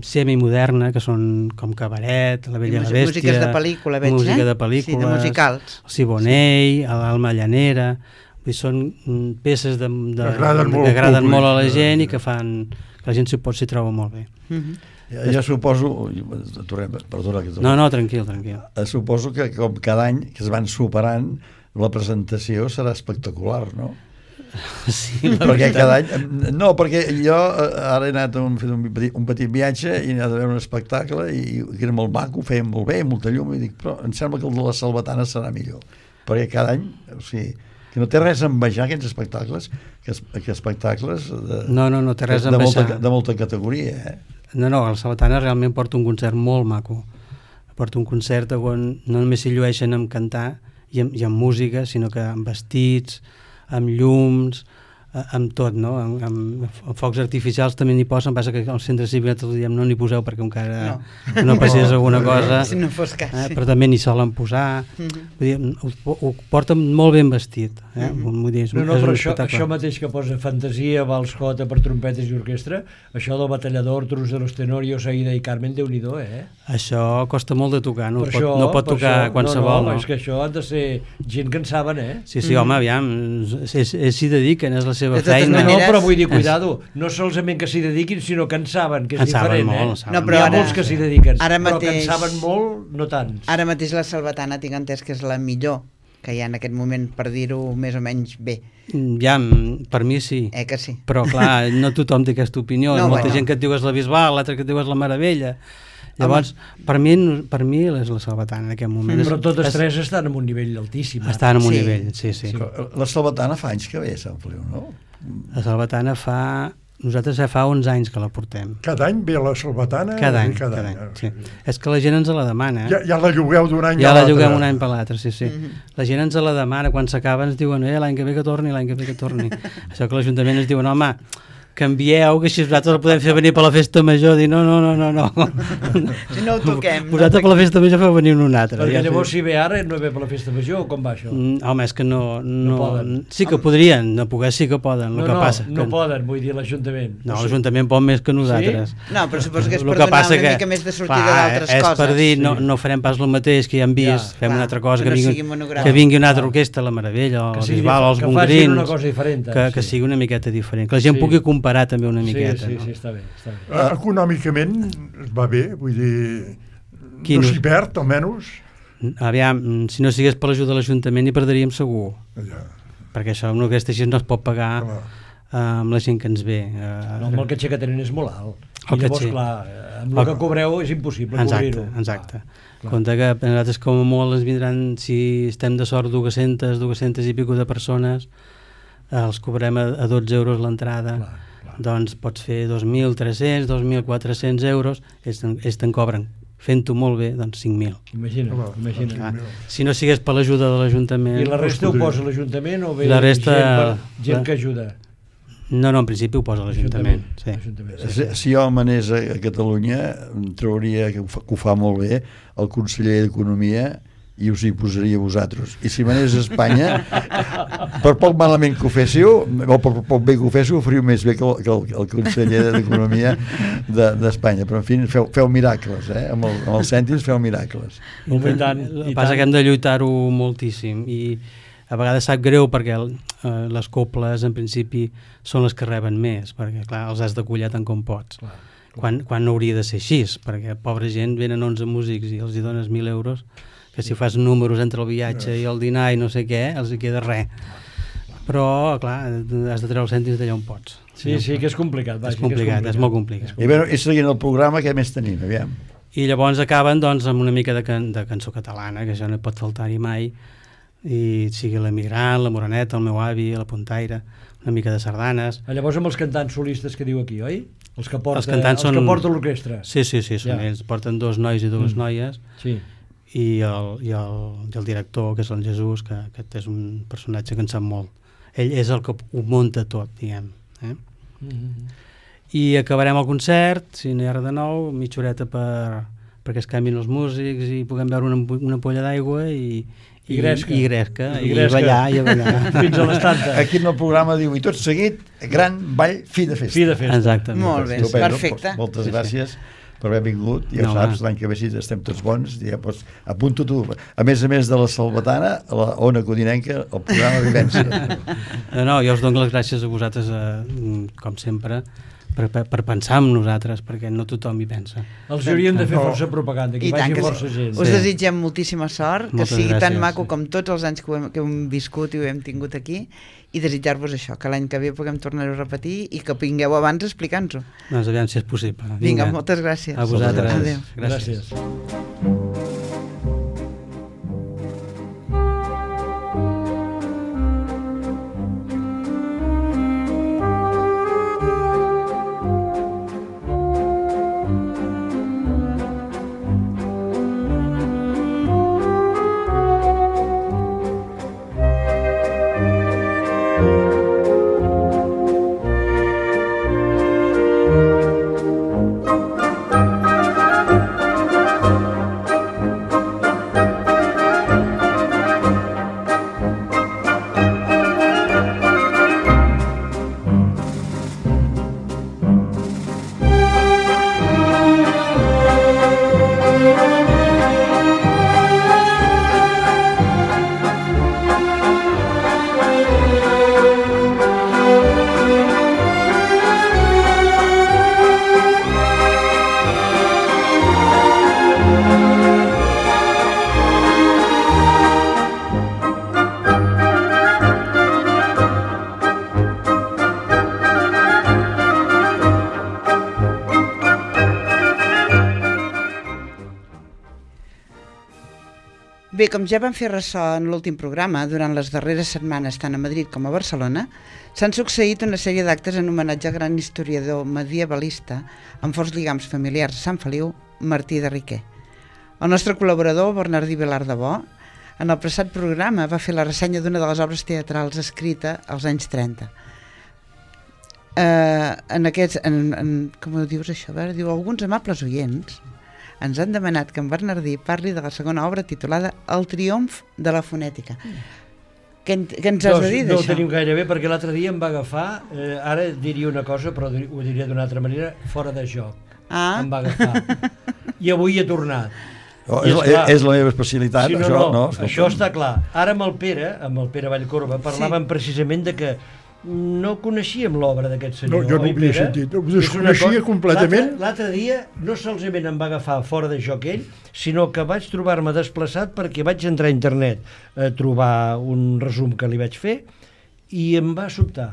semimoderna, que són com Cabaret, La Bella i la Músiques Bèstia, de pel·lícula, veig, música eh? de pel·lícules, Sí, de musicals. el Siboney, sí. l'Alma Llanera, vull dir, són mm, peces de, de, Agraden molt que al agraden públic, molt a la eh? gent i que fan que la gent s'hi pot s'hi troba molt bé. Mhm. Ja, ja suposo, tornem, perdona que tornem. No, no, tranquil, tranquil. Eh, suposo que com cada any que es van superant la presentació serà espectacular, no? Sí, la Perquè veritat. cada any... No, perquè jo eh, ara he anat a un, fet un, petit, un petit viatge i he anat a veure un espectacle i, i que era molt maco, ho feien molt bé, molta llum, i dic, però em sembla que el de la Salvatana serà millor. Perquè cada any, o sigui, que no té res a envejar aquests espectacles, que, es, que espectacles de, No, no, no té res a de, molta, envejar. de molta categoria, eh? No, no, el Salvatana realment porta un concert molt maco. Porta un concert on no només s'hi llueixen amb cantar i amb, i amb música, sinó que amb vestits, amb llums, eh, amb tot, no? Amb, amb, amb focs artificials també n'hi posen, passa que al centre cívic nosaltres diem no n'hi poseu perquè encara no, No. no passés alguna cosa, Si no fos cas. eh, però també n'hi solen posar. Mhm. Vull dir, ho, ho porten molt ben vestit. Eh? Mhm. Vull dir, és, No, un- no, és però un això, espectacle. això mateix que posa fantasia, vals jota per trompetes i orquestra, això del batallador, Trus de los Tenorios, Aida i Carmen, Déu-n'hi-do, eh? Això costa molt de tocar, no, Per pot, això- no pot per tocar això- qualsevol. No, no, no? és que això han de ser gent que en saben, eh? Sí, sí, home, aviam, és, és, s'hi dediquen, és la seva De totes feina. No, no, maneres- però vull dir, cuidado, no solament que s'hi dediquin, sinó que en saben, que és En saben diferent, molt, eh? en saben No, N'hi però ha ara- molts que s'hi dediquen, ara però que en mateix- saben molt, no tants. Ara mateix la Salvatana tinc entès que és la millor que hi ha en aquest moment, per dir-ho més o menys bé. Ja, per mi sí. Eh que sí? Però clar, no tothom té aquesta opinió. No, No, molta bueno. gent que et diu és la Bisbal, l'altra que et diu és la Meravella. Llavors, per mi, per mi és la Salvatana en aquest moment. Però totes és, tres estan en un nivell altíssim. ara. estan en un Sí. nivell, sí, sí. Sí. La Salvatana fa anys que ve a Sant Feliu, no? La Salvatana fa... Nosaltres ja fa onze anys que la portem. Cada any ve la Salvatana? Cada any, i cada, any. ah, Sí. És que la gent ens la demana. Ja, ja la llogueu d'un any Ja a la l'altre. lloguem un any per l'altre, sí, sí. Mhm. La gent ens la demana, quan s'acaba ens diuen eh, l'any que ve que torni, l'any que ve que torni. Això que l'Ajuntament ens diuen, home, canvieu, que així nosaltres el podem fer venir per la festa major. Dir, no, no, no, no, no. Si no ho toquem. Vosaltres per la festa major feu venir un altre. Perquè Ja llavors sé. si ve ara no ve per la festa major, o com va això? Mm, Home, és que no... No, No poden. Sí que podrien, no poder sí que poden. No, el que no, passa, no que, poden, vull dir l'Ajuntament. No, l'Ajuntament pot més que nosaltres. No, però suposo que és El per que donar passa una que, mica més de sortida clar, d'altres és coses. per dir, no, sí. no farem pas el mateix que ja hem vist, Ja, fem clar, una altra cosa, que que, no vingui, sigui monogràfic. que vingui una altra Clar. orquestra, la Meravella, Que els sigui Bisbal, els que facin Bongrins, una cosa diferent, que, que sí. sigui una miqueta diferent, que la gent Sí. pugui comparar també una miqueta. Sí, sí, no? sí, està bé. Està bé. Eh, econòmicament va bé, vull dir, Quin no us- s'hi perd, almenys. Aviam, si no sigués per l'ajuda de l'Ajuntament hi perdríem segur, Ja, perquè això una aquesta gent no es pot pagar clar. eh, amb la gent que ens ve. Eh, No, amb el caché que tenen és molt alt. El I llavors, caché. clar, eh, amb el que cobreu és impossible Exacte, cobrir-ho. exacte. clar. Compte que nosaltres com a molt ens vindran, si estem de sort, dues-centes, dues-centes i pico de persones, eh, els cobrem a, a dotze euros l'entrada, Clar, clar. doncs pots fer dos mil tres-cents, dos mil quatre-cents euros, ells te'n ells te'n cobren fent-ho molt bé, doncs cinc mil. Imagina, Ah, imagina. Ah, si no sigués per l'ajuda de l'Ajuntament... I la resta ho posa l'Ajuntament o bé La resta- gent, per, gent la- que ajuda? No, no, en principi ho posa l'Ajuntament. Sí. L'Ajuntament, sí. Si, si jo manés a, a Catalunya, em trauria, que ho, fa, que ho fa molt bé, el conseller d'Economia i us hi posaria vosaltres. I si manés a Espanya, per poc malament que ho féssiu, o per poc bé que ho féssiu, ho faríeu més bé que el, que el, el conseller d'Economia d'Espanya. De, Però, en fi, feu, feu miracles, eh? Amb, el, amb els cèntims feu miracles. I tant, El i que passa tant. que hem de lluitar-ho moltíssim i a vegades sap greu perquè el, eh, les coples en principi són les que reben més, perquè clar, els has de collar tant com pots. Clar, Quan, quan no hauria de ser així, perquè pobra gent, venen onze músics i els hi dones mil euros, que si fas números entre el viatge i el dinar i no sé què, els hi queda res. Però, clar, has de treure els cèntims d'allà on pots. Sí, sí, que és complicat. Vaja, És complicat, que és molt complicat. I, bé, i seguint el programa, què més tenim? Aviam. I llavors acaben doncs, amb una mica de, can de cançó catalana, que això no hi pot faltar-hi mai, i sigui l'Emigrant, la Moreneta, el meu avi, la Puntaire, una mica de sardanes. Ah, llavors amb els cantants solistes que diu aquí, oi? Els que porta, Els cantants els són- que porta l'orquestra. Sí, sí, sí, són Ja. ells. Porten dos nois i dues Mm. noies, Sí. i el, i, el, i el director, que és el Jesús, que aquest és un personatge que en sap molt. Ell és el que ho munta tot, diguem. Eh? Mm -hmm. I acabarem el concert, si no hi ha res de nou, mitja horeta per, perquè es canvin els músics i puguem beure una, ampo- una ampolla d'aigua i, I gresca. i, gresca, I i, gresca. ballar, i a ballar. Fins a les tantes. Aquí en el programa diu, i tot seguit, gran ball, fi de festa. Fi de festa. Exactament. Molt bé, Estupendo. perfecte. Moltes Sí, sí. gràcies per haver vingut. Ja No, ho saps, va. l'any que ve si estem tots bons, ja pots, apunta tu. A més a més de la Salvatana, a la Ona Codinenca, el programa Vivència. No, no, jo us dono les gràcies a vosaltres, eh, com sempre, per, per, per pensar en nosaltres, perquè no tothom hi pensa. Els hauríem de fer força propaganda, que I hi tant vagi que força sí. gent. Us Sí. desitgem moltíssima sort, que Moltes sigui tan gràcies, maco sí. com tots els anys que ho hem, que ho hem viscut i ho hem tingut aquí, i desitjar-vos això, que l'any que ve puguem tornar-ho a repetir i que vingueu abans a explicar-nos-ho. Doncs aviam si és possible. Vinga, moltes gràcies. A vosaltres. Adéu. Gràcies. Bé, com ja vam fer ressò en l'últim programa, durant les darreres setmanes, tant a Madrid com a Barcelona, s'han succeït una sèrie d'actes en homenatge al gran historiador medievalista amb forts lligams familiars a Sant Feliu, Martí de Riquer. El nostre col·laborador, Bernardí Vilar de Bo, en el passat programa va fer la ressenya d'una de les obres teatrals escrita als anys trenta. Eh, en aquests, en, en, com ho dius això? A veure, diu, alguns amables oients ens han demanat que en Bernardí parli de la segona obra titulada El triomf de la fonètica. Què, què ens has No, de dir no ho d'això? tenim gaire bé, perquè l'altre dia em va agafar, eh, ara diria una cosa, però ho diria d'una altra manera, fora de joc. Ah, Em va agafar. I avui he tornat. Oh, I és, esclar, és la meva especialitat, sí, no, això, no, no? això escolta'm. està clar. Ara amb el Pere, amb el Pere Vallcorba, parlàvem sí. precisament de que no coneixíem l'obra d'aquest senyor. No, jo no oi, ho havia Pere? sentit. Ho És una desconeixia cosa- completament. L'altre- L'altre dia no solament em va agafar fora de joc ell, sinó que vaig trobar-me desplaçat perquè vaig entrar a internet a trobar un resum que li vaig fer i em va sobtar.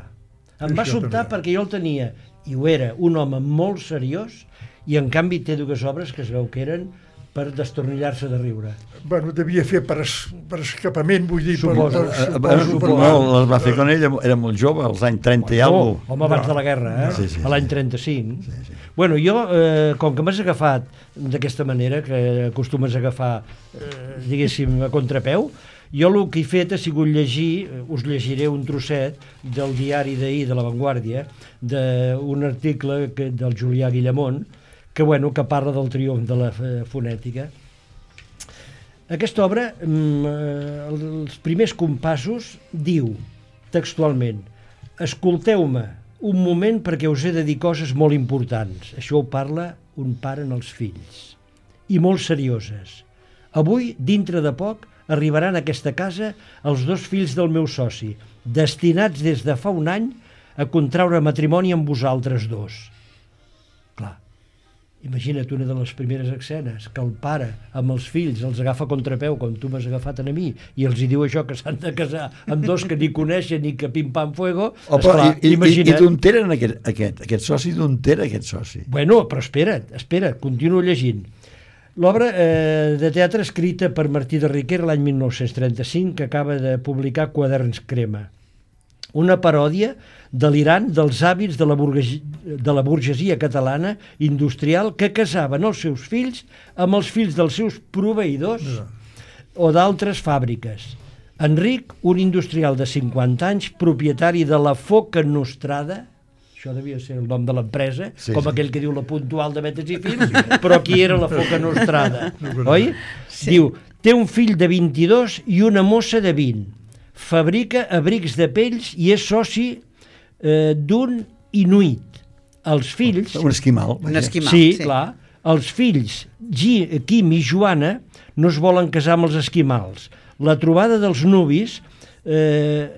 Em va Això sobtar també. perquè jo el tenia, i ho era, un home molt seriós, i en canvi té dues obres que es veu que eren per destornillar-se de riure. Bueno, devia fer per, es, per escapament, vull dir, Suposo. per, Eh, per, eh, suposo, suposo, per, no, les va fer quan ell era molt jove, als anys trenta i alguna Oh, home abans de la guerra, eh? Sí, sí, a l'any sí. trenta-cinc. Sí, sí. Bueno, jo, eh, com que m'has agafat d'aquesta manera, que acostumes a agafar, eh, diguéssim, a contrapeu, jo el que he fet ha sigut llegir, us llegiré un trosset del diari d'ahir de La Vanguardia, d'un article que, del Julià Guillamont, que, bueno, que parla del triomf de la fonètica. Aquesta obra, els primers compassos, diu textualment: escolteu-me un moment perquè us he de dir coses molt importants. Això ho parla un pare en els fills. I molt serioses. Avui, dintre de poc, arribaran a aquesta casa els dos fills del meu soci, destinats des de fa un any a contraure matrimoni amb vosaltres dos. Clar, imagina't una de les primeres escenes, que el pare amb els fills els agafa a contrapeu, com tu m'has agafat a mi, i els hi diu això, que s'han de casar amb dos que ni coneixen i que pim-pam fuego. Oh, esclar, i, imagina't... I, i d'on tenen aquest, aquest, aquest soci, d'on era aquest soci? Bueno, però espera't, espera't, continuo llegint. L'obra eh, de teatre escrita per Martí de Riquer l'any mil nou-cents trenta-cinc, que acaba de publicar Quaderns Crema. Una paròdia delirant dels hàbits de la, burguesia, de la burgesia catalana industrial que casaven els seus fills amb els fills dels seus proveïdors no. o d'altres fàbriques. Enric, un industrial de cinquanta anys, propietari de la Foca Nostrada, això devia ser el nom de l'empresa, sí, com sí. aquell que diu la Puntual de Betes i Fills, però aquí era la Foca Nostrada, oi? Sí. Diu, té un fill de vint-i-dos i una mossa de vint. Fabrica abrics de pells i és soci eh, d'un inuit. Els fills... Un esquimal. Un esquimal, sí, sí. clar. Els fills, G, Quim i Joana, no es volen casar amb els esquimals. La trobada dels nuvis eh,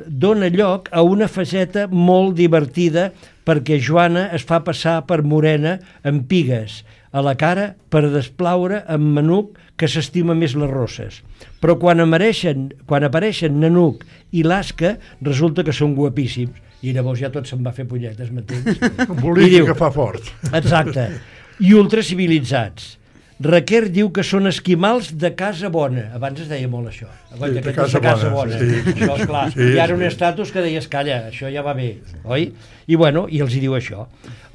dona lloc a una faceta molt divertida perquè Joana es fa passar per morena amb pigues a la cara per desplaure amb Manuc, que s'estima més les rosses. Però quan apareixen, quan apareixen Nanuc i l'Asca, resulta que són guapíssims. I llavors ja tot se'n va fer punyetes, m'entens? Volia que fa fort. Exacte. I ultracivilitzats. Raquer diu que són esquimals de casa bona. Abans es deia molt això. Sí, de casa, casa casa bona. bona. Sí. Això, esclar. Sí, hi ha un estatus que deies, calla, això ja va bé, oi? I bueno, i els hi diu això.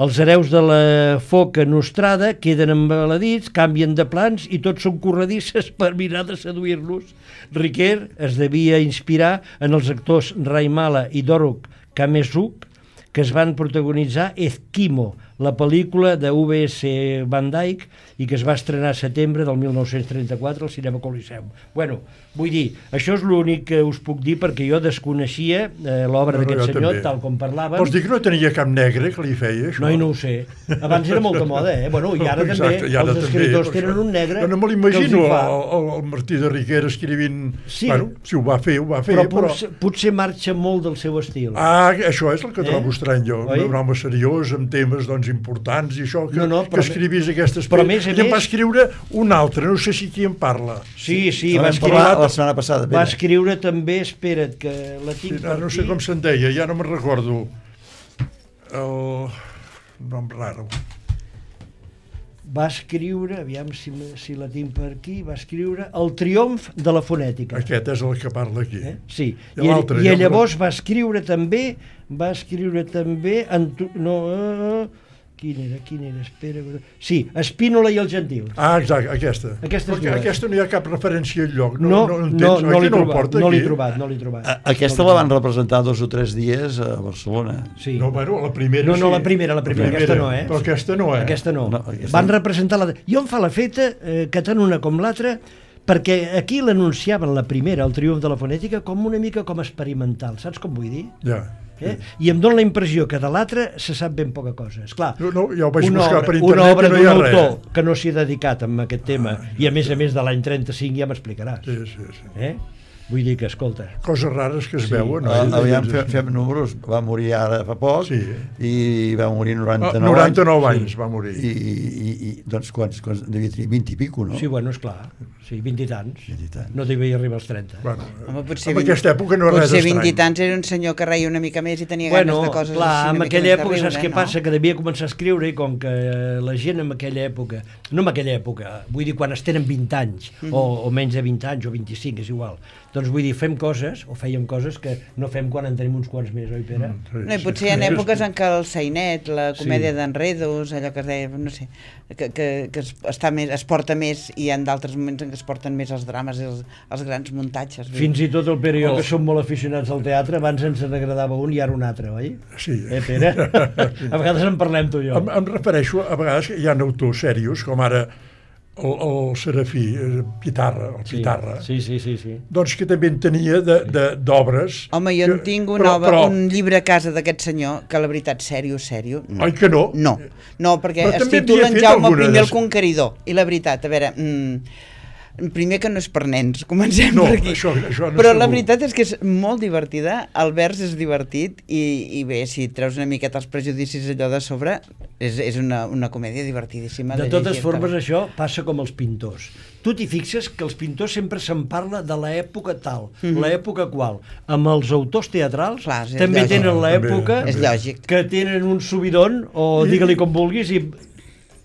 Els hereus de la Foca Nostrada queden embaladits, canvien de plans i tots són corredisses per mirar de seduir-los. Riquer es devia inspirar en els actors Raimala i Doruk Kamesuk, que es van protagonitzar Esquimo, la pel·lícula de U V S Van Dyke, i que es va estrenar a setembre del mil nou-cents trenta-quatre al Cinema Coliseum. Bueno, vull dir, això és l'únic que us puc dir perquè jo desconeixia eh, l'obra no, d'aquest senyor, també. Tal com parlàvem. Vols dir que no tenia cap negre que li feia, això? No, i no ho sé. Abans era molta moda, eh? Bueno, i ara Exacte, també i ara els escriptors també, tenen un negre no, no me l'imagino, el, el, el Martí de Riquer escrivint... Sí. Bueno, si ho va fer, ho va fer, però... però... Potser, potser marxa molt del seu estil. Ah, això és el que eh? trobo estrany jo. Oi? Un home seriós, amb temes doncs, importants i això, que, no, no, que escrivís aquestes... Però més a I em més... va escriure un altre, no sé si qui en parla. Sí, sí, va escriure la setmana passada. Va escriure també, espera't, que la tinc sí, per no aquí. sé com se'n deia, ja no me'n recordo. El nom raro. Va escriure, aviam si, si la tinc per aquí, va escriure El triomf de la fonètica. Aquest és el que parla aquí. Eh? Sí, i, i, i ja llavors va escriure també, va escriure també, Anto, no, uh, quin era, quin era, espera, sí, Espínola i els gentils. Ah, exacte, aquesta. Aquesta, aquesta no hi ha cap referència enlloc. No, no, no, no, no l'he trobat, no l'he aquí. trobat, no l'he trobat. A, aquesta no la van representar dos o tres dies a Barcelona. Sí. No, bueno, la primera no, no, sí. la primera, la primera, la primera, aquesta no, eh? Però aquesta no, eh? Aquesta no. no aquesta van no. representar la... Jo em fa la feta eh, que tant una com l'altra, perquè aquí l'anunciaven la primera, el triomf de la fonètica, com una mica com experimental, saps com vull dir? Ja. Eh? I em dóna la impressió que de l'altre se sap ben poca cosa. Esclar, no, no, ja ho vaig una buscar obra, per internet una obra i no hi ha d'un res. autor que no s'hi ha dedicat a aquest tema, ah, i a més a més de l'any trenta-cinc ja m'explicaràs. Sí, sí, sí. Eh? Vull dir que, escolta... Coses rares que es sí. veuen. No? Uh, aviam, fem, fem números. Va morir ara fa poc sí. i va morir noranta-nou, ah, noranta-nou anys. anys sí. va morir. I, i, i doncs quants, quants devia tenir? vint i pico, no? Sí, bueno, esclar. Sí, vint i tants. vint i tants. No devia arribar als trenta. Bueno, Home, potser en vint, aquesta època no és res potser vint estrany. i tants era un senyor que reia una mica més i tenia bueno, ganes de coses clar, així. en aquella època, riure, saps què no? passa? Que devia començar a escriure i com que la gent en aquella època, no en aquella època, vull dir quan es tenen vint anys, mm -hmm. o, o menys de vint anys, o vint-i-cinc, és igual, Doncs vull dir, fem coses, o fèiem coses que no fem quan en tenim uns quants més, oi, Pere? Mm, No, i potser hi ha èpoques en què el Sainet, la comèdia Sí. d'enredos, allò que es deia, no sé, que, que, que es, està més, es porta més, i hi ha d'altres moments en què es porten més els drames i els, els grans muntatges. vull dir. Fins i tot el Pere i jo, Oh. que som molt aficionats al teatre, abans ens n'agradava un i ara un altre, oi? Sí. Eh, Pere? A vegades en parlem tu i jo. Em, em refereixo a vegades que hi ha autors serios, com ara el, el Serafí, eh, Pitarra, el Sí, Pitarra, sí, sí, sí, sí. doncs que també en tenia de- de- d'obres. Home, jo en que- tinc un, però- obra, però- un llibre a casa d'aquest senyor que la veritat, sèrio, sèrio, no. Oi que no? No, no, perquè Però es també titula havia en fet Jaume alguna primer el des- Conqueridor, i la veritat, a veure, mm, primer que no és per nens, comencem No, per aquí. això- això no Però la segur. veritat és que és molt divertida, el vers és divertit, i, i bé, si treus una miqueta els prejudicis allò de sobre, és, és una, una comèdia divertidíssima. De de totes llegir-te. formes, això passa com els pintors. Tu t'hi fixes que els pintors sempre se'n parla de l'època tal, Mhm. l'època qual. Amb els autors teatrals Clar, és també lògic. tenen També, l'època també. És lògic. que tenen un subidon, o I- digue-li com vulguis, i,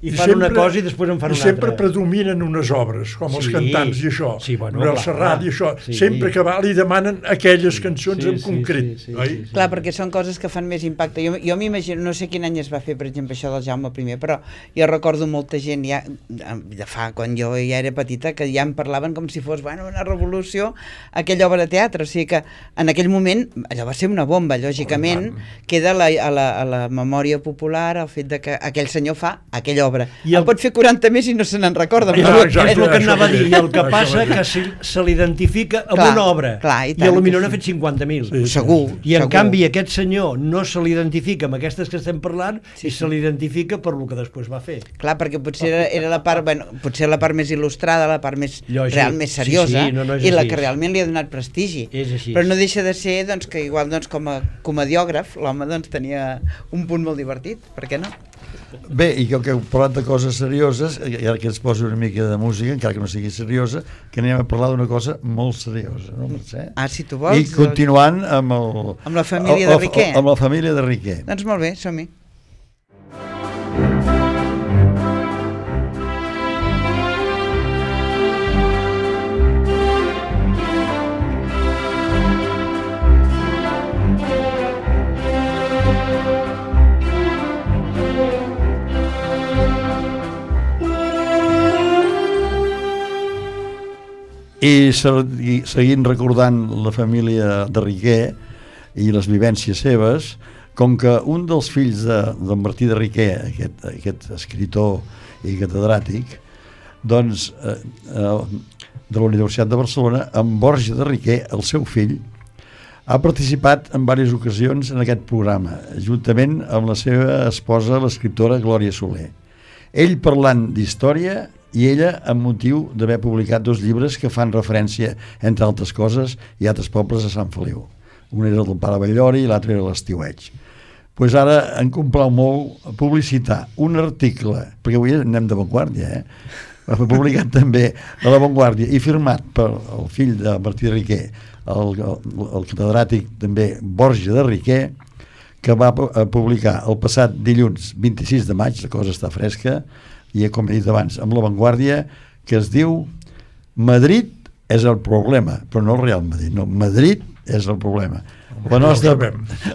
i fan sempre- una cosa i després en fan i una sempre altra. predominen unes obres, com els Sí. cantants i això. Sí, bueno, Manuel clar, Serrat clar. i això. Sí. Sempre que va li demanen aquelles cançons Sí, en sí, concret. sí, sí, oi? sí, sí. Clar, perquè són coses que fan més impacte. Jo, jo m'imagino, no sé quin any es va fer, per exemple, això del Jaume primer, però jo recordo molta gent ja, de fa, quan jo ja era petita, que ja en parlaven com si fos, bueno, una revolució, aquella obra de teatre. O sigui que en aquell moment allò va ser una bomba, lògicament, queda a la, a la, a la memòria popular el fet de que aquell senyor fa aquella obra. I I el- el... pot fer quaranta més i no se n'en recorda. És Ah, el, exacte, és el que això anava a mateix. dir, i el que Això passa mateix. que se, se l'identifica amb Clar, una obra, clar, i i, tant a lo millor que n'ha sí. fet cinquanta mil. Sí, sí. Segur. I en segur. canvi aquest senyor no se l'identifica amb aquestes que estem parlant, Sí, i sí. se l'identifica per lo que després va fer. Clar, perquè potser era, era la part, bueno, potser la part més il·lustrada, la part més Lògic. real, més Sí, seriosa, sí, no, no és i la així. que realment li ha donat prestigi. És així. Però no deixa de ser, doncs, que igual, doncs, com a comediògraf, l'home, doncs, tenia un punt molt divertit, per què no? Bé, i com que heu parlat de coses serioses, i ara que ens poso una mica de música, encara que no sigui seriosa, que anem a parlar d'una cosa molt seriosa, no, Mercè? Ah, si tu vols. I continuant amb el... Amb la família de el- el- Riquer. Amb la família de Riquer. Doncs molt bé, som-hi. I segui- seguint recordant la família de Riquer i les vivències seves, com que un dels fills de, de Martí de Riquer, aquest, aquest escritor i catedràtic, doncs, eh, eh, de la Universitat de Barcelona, en Borja de Riquer, el seu fill, ha participat en diverses ocasions en aquest programa, juntament amb la seva esposa, l'escriptora Glòria Soler. Ell parlant d'història i ella amb motiu d'haver publicat dos llibres que fan referència, entre altres coses, i altres pobles de Sant Feliu. Un era el del Pare Batllori i l'altre era l'Estiueig. Pues ara em complau molt publicitar un article, perquè avui anem de Vanguardia, eh? Va publicat també a La Vanguardia i firmat per el fill de Martí de Riquer, el, el, el catedràtic també Borja de Riquer, que va publicar el passat dilluns vint-i-sis de maig, la cosa està fresca, i com he dit abans, amb La Vanguardia, que es diu Madrid és el problema, però no el Real Madrid, no, Madrid és el problema. La nostra,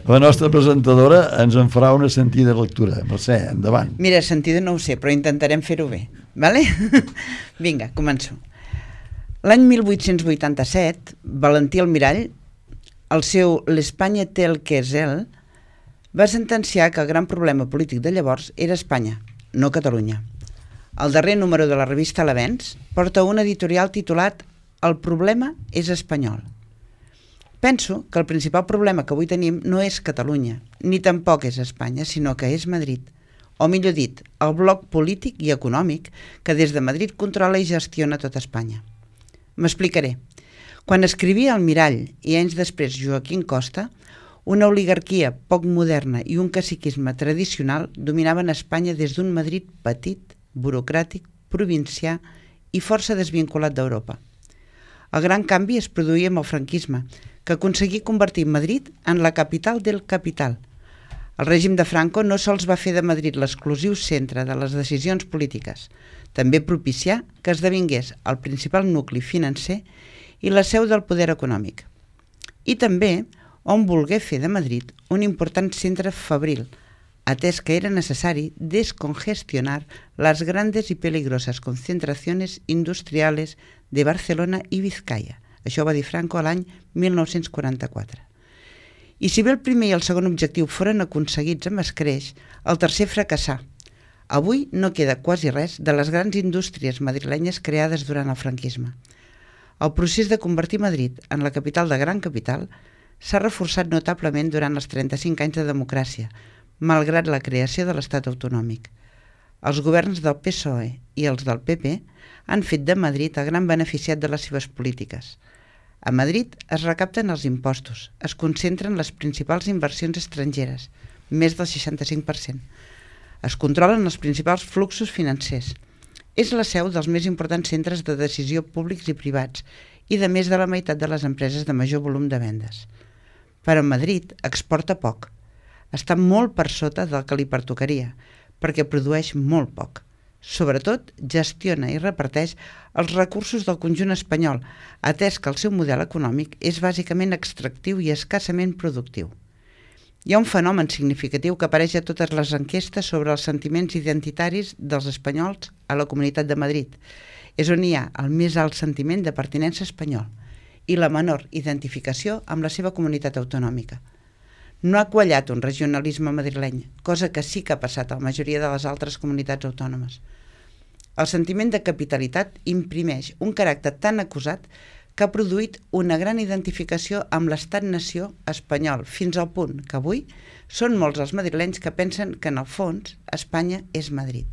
la nostra presentadora ens en farà una sentida lectura. Mercè, endavant. Mira, sentida no ho sé, però intentarem fer-ho bé, vale? Vinga, començo. L'any mil vuit-cents vuitanta-set, Valentí Almirall, el seu L'Espagne tel que és ell, va sentenciar que el gran problema polític de llavors era Espanya, no Catalunya. El darrer número de la revista L'Avenç porta un editorial titulat El problema és espanyol. Penso que el principal problema que avui tenim no és Catalunya, ni tampoc és Espanya, sinó que és Madrid, o millor dit, el bloc polític i econòmic que des de Madrid controla i gestiona tota Espanya. M'explicaré. Quan escrivia Almirall i anys després Joaquín Costa, una oligarquia poc moderna i un caciquisme tradicional dominaven Espanya des d'un Madrid petit, burocràtic, provincià i força desvinculat d'Europa. El gran canvi es produïa amb el franquisme, que aconseguí convertir Madrid en la capital del capital. El règim de Franco no sols va fer de Madrid l'exclusiu centre de les decisions polítiques, també propicià que esdevingués el principal nucli financer i la seu del poder econòmic. I també on volgué fer de Madrid un important centre fabril, atès que era necessari descongestionar las grandes y peligrosas concentraciones industriales de Barcelona i Vizcaya. Això va dir Franco a l'any mil nou-cents quaranta-quatre. I si bé el primer i el segon objectiu foren aconseguits amb escreix, el tercer fracassà. Avui no queda quasi res de les grans indústries madrilenyes creades durant el franquisme. El procés de convertir Madrid en la capital de gran capital s'ha reforçat notablement durant els trenta-cinc anys de democràcia, malgrat la creació de l'Estat autonòmic. Els governs del P S O E i els del P P han fet de Madrid el gran beneficiat de les seves polítiques. A Madrid es recapten els impostos, es concentren les principals inversions estrangeres, més del seixanta-cinc per cent. Es controlen els principals fluxos financers. És la seu dels més importants centres de decisió públics i privats i de més de la meitat de les empreses de major volum de vendes. Però Madrid exporta poc. Està molt per sota del que li pertocaria, perquè produeix molt poc. Sobretot, gestiona i reparteix els recursos del conjunt espanyol, atès que el seu model econòmic és bàsicament extractiu i escassament productiu. Hi ha un fenomen significatiu que apareix a totes les enquestes sobre els sentiments identitaris dels espanyols a la Comunitat de Madrid. És on hi ha el més alt sentiment de pertinença espanyol i la menor identificació amb la seva comunitat autonòmica. No ha quallat un regionalisme madrileny, cosa que sí que ha passat a la majoria de les altres comunitats autònomes. El sentiment de capitalitat imprimeix un caràcter tan acusat que ha produït una gran identificació amb l'estat-nació espanyol, fins al punt que avui són molts els madrilenys que pensen que en el fons Espanya és Madrid.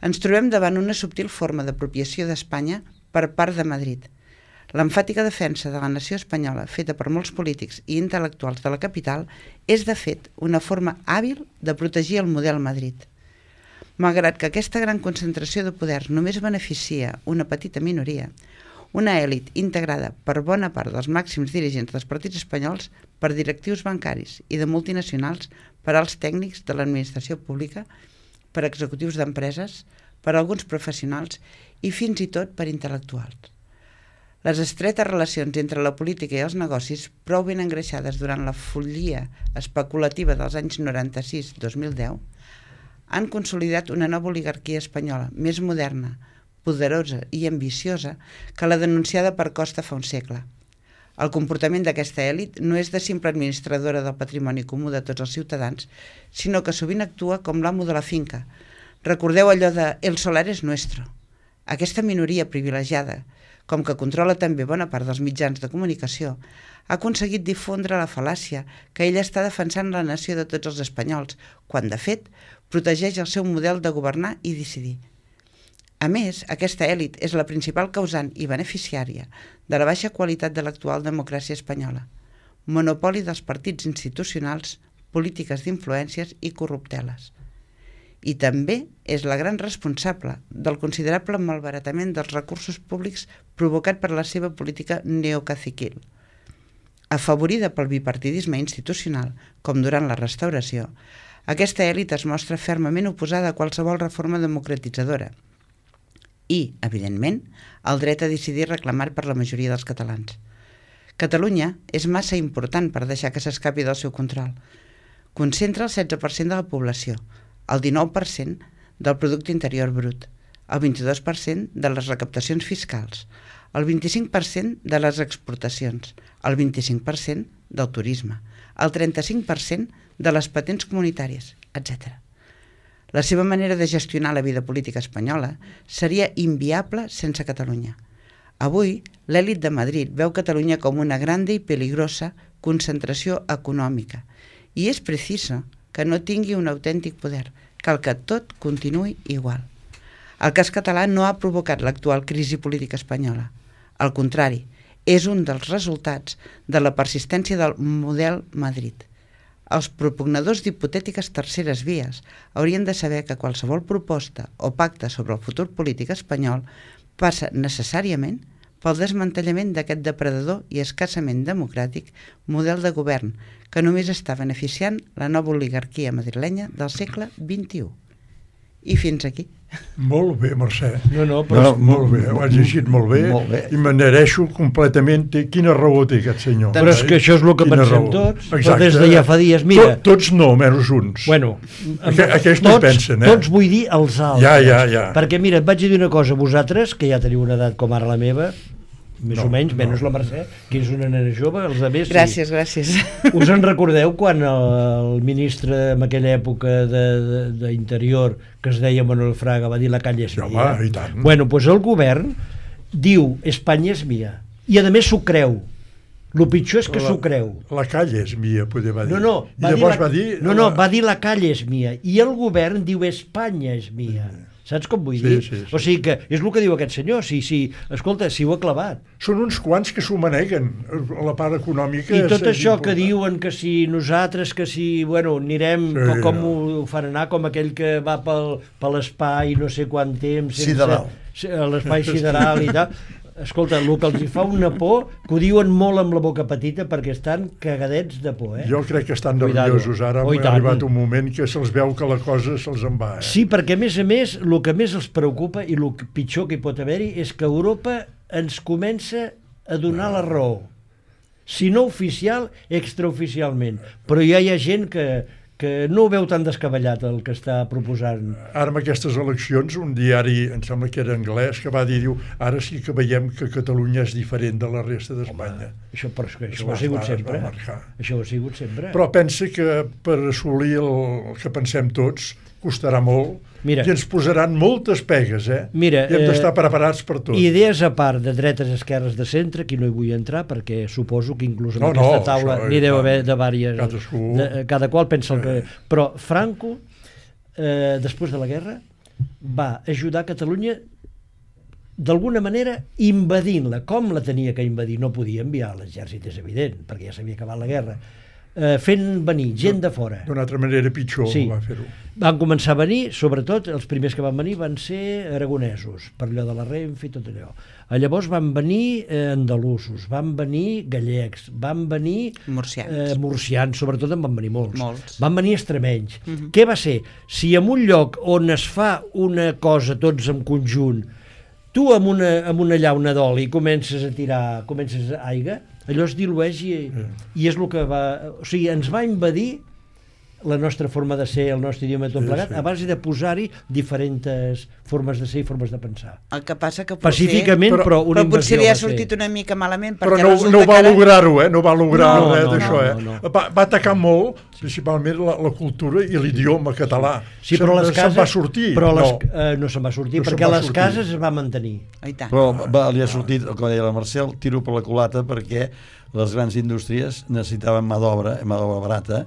Ens trobem davant una subtil forma d'apropiació d'Espanya per part de Madrid. L'emfàtica defensa de la nació espanyola, feta per molts polítics i intel·lectuals de la capital, és de fet una forma hàbil de protegir el model Madrid. Malgrat que aquesta gran concentració de poder només beneficia una petita minoria, una èlit integrada per bona part dels màxims dirigents dels partits espanyols, per directius bancaris i de multinacionals, per als tècnics de l'administració pública, per executius d'empreses, per alguns professionals i fins i tot per intel·lectuals. Les estretes relacions entre la política i els negocis, prou ben engreixades durant la follia especulativa dels anys noranta-sis dos mil deu, han consolidat una nova oligarquia espanyola, més moderna, poderosa i ambiciosa que la denunciada per Costa fa un segle. El comportament d'aquesta èlit no és de simple administradora del patrimoni comú de tots els ciutadans, sinó que sovint actua com l'amo de la finca. Recordeu allò de «el solar es nuestro». Aquesta minoria privilegiada, com que controla també bona part dels mitjans de comunicació, ha aconseguit difondre la fal·làcia que ella està defensant la nació de tots els espanyols, quan, de fet, protegeix el seu model de governar i decidir. A més, aquesta èlit és la principal causant i beneficiària de la baixa qualitat de l'actual democràcia espanyola, monopoli dels partits institucionals, polítiques d'influències i corrupteles. I també és la gran responsable del considerable malbaratament dels recursos públics provocat per la seva política neocaciquil. Afavorida pel bipartidisme institucional, com durant la Restauració, aquesta èlit es mostra fermament oposada a qualsevol reforma democratitzadora i, evidentment, el dret a decidir reclamat per la majoria dels catalans. Catalunya és massa important per deixar que s'escapi del seu control. Concentra el setze per cent de la població, el dinou per cent del producte interior brut, el vint-i-dos per cent de les recaptacions fiscals, el vint-i-cinc per cent de les exportacions, el vint-i-cinc per cent del turisme, el trenta-cinc per cent de les patents comunitàries, etcètera. La seva manera de gestionar la vida política espanyola seria inviable sense Catalunya. Avui, l'èlit de Madrid veu Catalunya com una grande i peligrosa concentració econòmica i és preciso que no tingui un autèntic poder, cal que tot continuï igual. El cas català no ha provocat l'actual crisi política espanyola. Al contrari, és un dels resultats de la persistència del model Madrid. Els propugnadors d'hipotètiques terceres vies haurien de saber que qualsevol proposta o pacte sobre el futur polític espanyol passa necessàriament pel desmantellament d'aquest depredador i escassament democràtic model de govern que només està beneficiant la nova oligarquia madrilenya del segle vint-i-u. I fins aquí. Molt bé, Mercè. No, no, però... No, Però, molt bé, ho has llegit molt bé, molt bé. i m'adhereixo completament. Té, quina raó té aquest senyor. Però és que això és el que Quina pensem raó. tots, però Exacte. des de ja fa dies, mira... Tot, tots no, menys uns. Bueno, Aqu aquells no hi tots, pensen, eh? tots vull dir els altres. Ja, ja, ja. Perquè mira, et vaig dir una cosa, vosaltres, que ja teniu una edat com ara la meva, més No, o menys, no. menys la Mercè, que és una nena jove, els altres sí. Gràcies, gràcies. Us en recordeu quan el, el ministre en aquella època d'Interior, que es deia Manuel Fraga, va dir la calle és Sí, mia? home, i tant. Bueno, doncs el govern diu Espanya és mia, i a més s'ho creu. El pitjor és que s'ho creu. La calle és mia, poder va dir. No, no, I va dir llavors la, va dir... no, no, va dir la calle és mia, i el govern diu Espanya és mia. Saps com vull Sí, dir? sí, sí. O sigui que és el que diu aquest senyor, si, si, escolta, si ho ha clavat. Són uns quants que s'ho maneguen, la part econòmica. I tot és, això és que important. diuen que si nosaltres, que si, bueno, anirem, Sí, com, com ja. ho fan anar, com aquell que va pel, per l'espai no sé quant temps... sense- Sideral. se- L'espai sideral i tal. Escolta, el que els hi fa una por, que ho diuen molt amb la boca petita perquè estan cagadets de por, eh? Jo crec que estan Cuidado. nerviosos ara, Oh, i ha tant. arribat un moment que se'ls veu que la cosa se'ls en va. Eh? Sí, perquè a més a més, el que més els preocupa i el pitjor que hi pot haver-hi és que Europa ens comença a donar la raó. Si no oficial, extraoficialment. Però ja hi ha gent que, que no ho veu tan descabellat el que està proposant. Ara amb aquestes eleccions, un diari, em sembla que era anglès, que va dir, diu, ara sí que veiem que Catalunya és diferent de la resta d'Espanya. Això, però és que això Es ho va- ha sigut es va sempre. marcar. Això ho ha sigut sempre. Però pensa que per assolir el, el que pensem tots costarà molt. Mira. I ens posaran moltes pegues, eh? Mira, I hem eh, d'estar preparats per tot. Idees a part de dretes, esquerres, de centre, aquí no hi vull entrar perquè suposo que inclús en No, aquesta no, taula això, n'hi i deu tant. haver de vàries. Cadascú. De, cada qual pensa el que... Però Franco, eh, després de la guerra, va ajudar Catalunya d'alguna manera invadint-la. Com la tenia que invadir? No podia enviar l'exèrcit, és evident, perquè ja s'havia acabat la guerra. Eh, fent venir gent de fora. D'una altra manera pitjor Sí. va fer-ho. Van començar a venir, sobretot els primers que van venir van ser aragonesos, per allò de la Renfe i tot allò. Llavors van venir eh, andalusos, van venir gallecs, van venir Murcians. eh, murcians, sobretot en van venir molts. Molts. Van venir extremenys. Què va ser? Si en un lloc on es fa una cosa tots en conjunt, tu amb una, amb una llauna d'oli comences a tirar, comences a aigua, allò es dilueix i, i és el que va... O sigui, ens va invadir la nostra forma de ser, el nostre idioma tot Sí, plegat, sí. a base de posar-hi diferents formes de ser i formes de pensar. El que passa que potser... Pacíficament, Però- però, una Però potser li ha invasió va ser. sortit una mica malament Però perquè no, resulta no va que ara... lograr-ho, eh? No va lograr No, res no, d'això, no, eh? no, no. Va, va atacar molt, principalment la, la cultura i l'idioma català. Sí, però les Se'n- cases... Se'n va sortir? Però les, no. eh, no se'n va sortir, No se'n perquè va les sortir. cases es va mantenir. Oh, i tant. Però va, li ha sortit, com deia la Marcel, tiro per la culata perquè les grans indústries necessitaven mà d'obra, mà d'obra barata,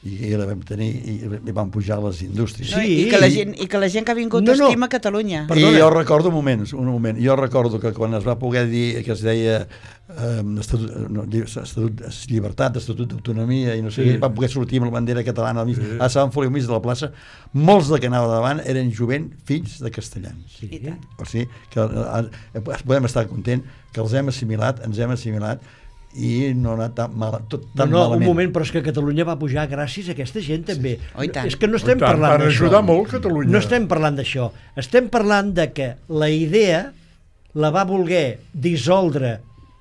i la vam tenir i, i van pujar les indústries. No, Sí. I, que la gent, I que la gent que ha vingut No, no. estima Catalunya. Per- I Perdona. jo recordo, un moment, un moment, jo recordo que quan es va poder dir que es deia eh, estatut, no, estatut, llibertat, estatut d'autonomia i no sé Sí. què, va poder sortir amb la bandera catalana al mig, a Sant Feliu, al mig de la plaça, molts de que anava davant eren jovent fills de castellans. Sí. I tant. O sigui, que eh, podem estar content que els hem assimilat, ens hem assimilat i no ha anat tan, mal, tot, No, tan no, un malament. moment, però és que Catalunya va pujar gràcies a aquesta gent també. Oh, i tant. És que no estem I tant, parlant van d'això. ajudar molt Catalunya. No estem parlant d'això. Estem parlant de que la idea la va voler dissoldre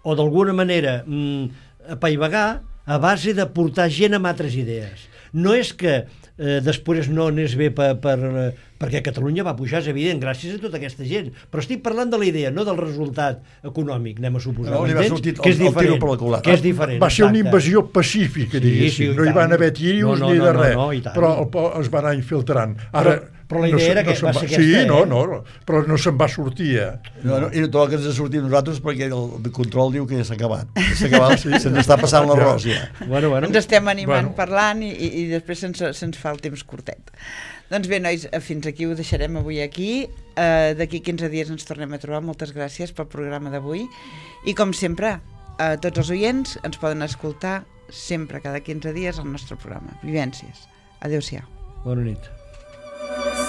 o d'alguna manera mm, apaivagar a base de portar gent amb altres idees. No és que eh, després no anés bé per, per, eh, perquè Catalunya va pujar, és evident, gràcies a tota aquesta gent. Però estic parlant de la idea, no del resultat econòmic, anem a suposar. No, li va m'entens? sortir el- Que és el tiro diferent, per la culata. que és diferent. Va ser una exacte. invasió pacífica, Sí, diguéssim. sí, i no hi tant. van haver tiros No, no, ni no, de no, res, no, i tant. però el po- es va anar infiltrant. Ara, Però- però la idea se- era que se'n va ser aquesta, Sí, eh? no, no, però no se'n va sortir, eh? No, no, I no toca que ens ha sortit nosaltres perquè el de control diu que ja s'ha acabat. S'ha acabat, sí. Se'ns està passant l'arròs ja. Bueno, bueno. Ens estem animant Bueno. parlant i, i, i després se'ns se'ns fa el temps curtet. Doncs bé, nois, fins aquí ho deixarem avui aquí. Uh, D'aquí quinze dies ens tornem a trobar. Moltes gràcies pel programa d'avui. I com sempre, a tots els oients ens poden escoltar sempre cada quinze dies al nostre programa. Vivències. Adéu-siau. Bona nit.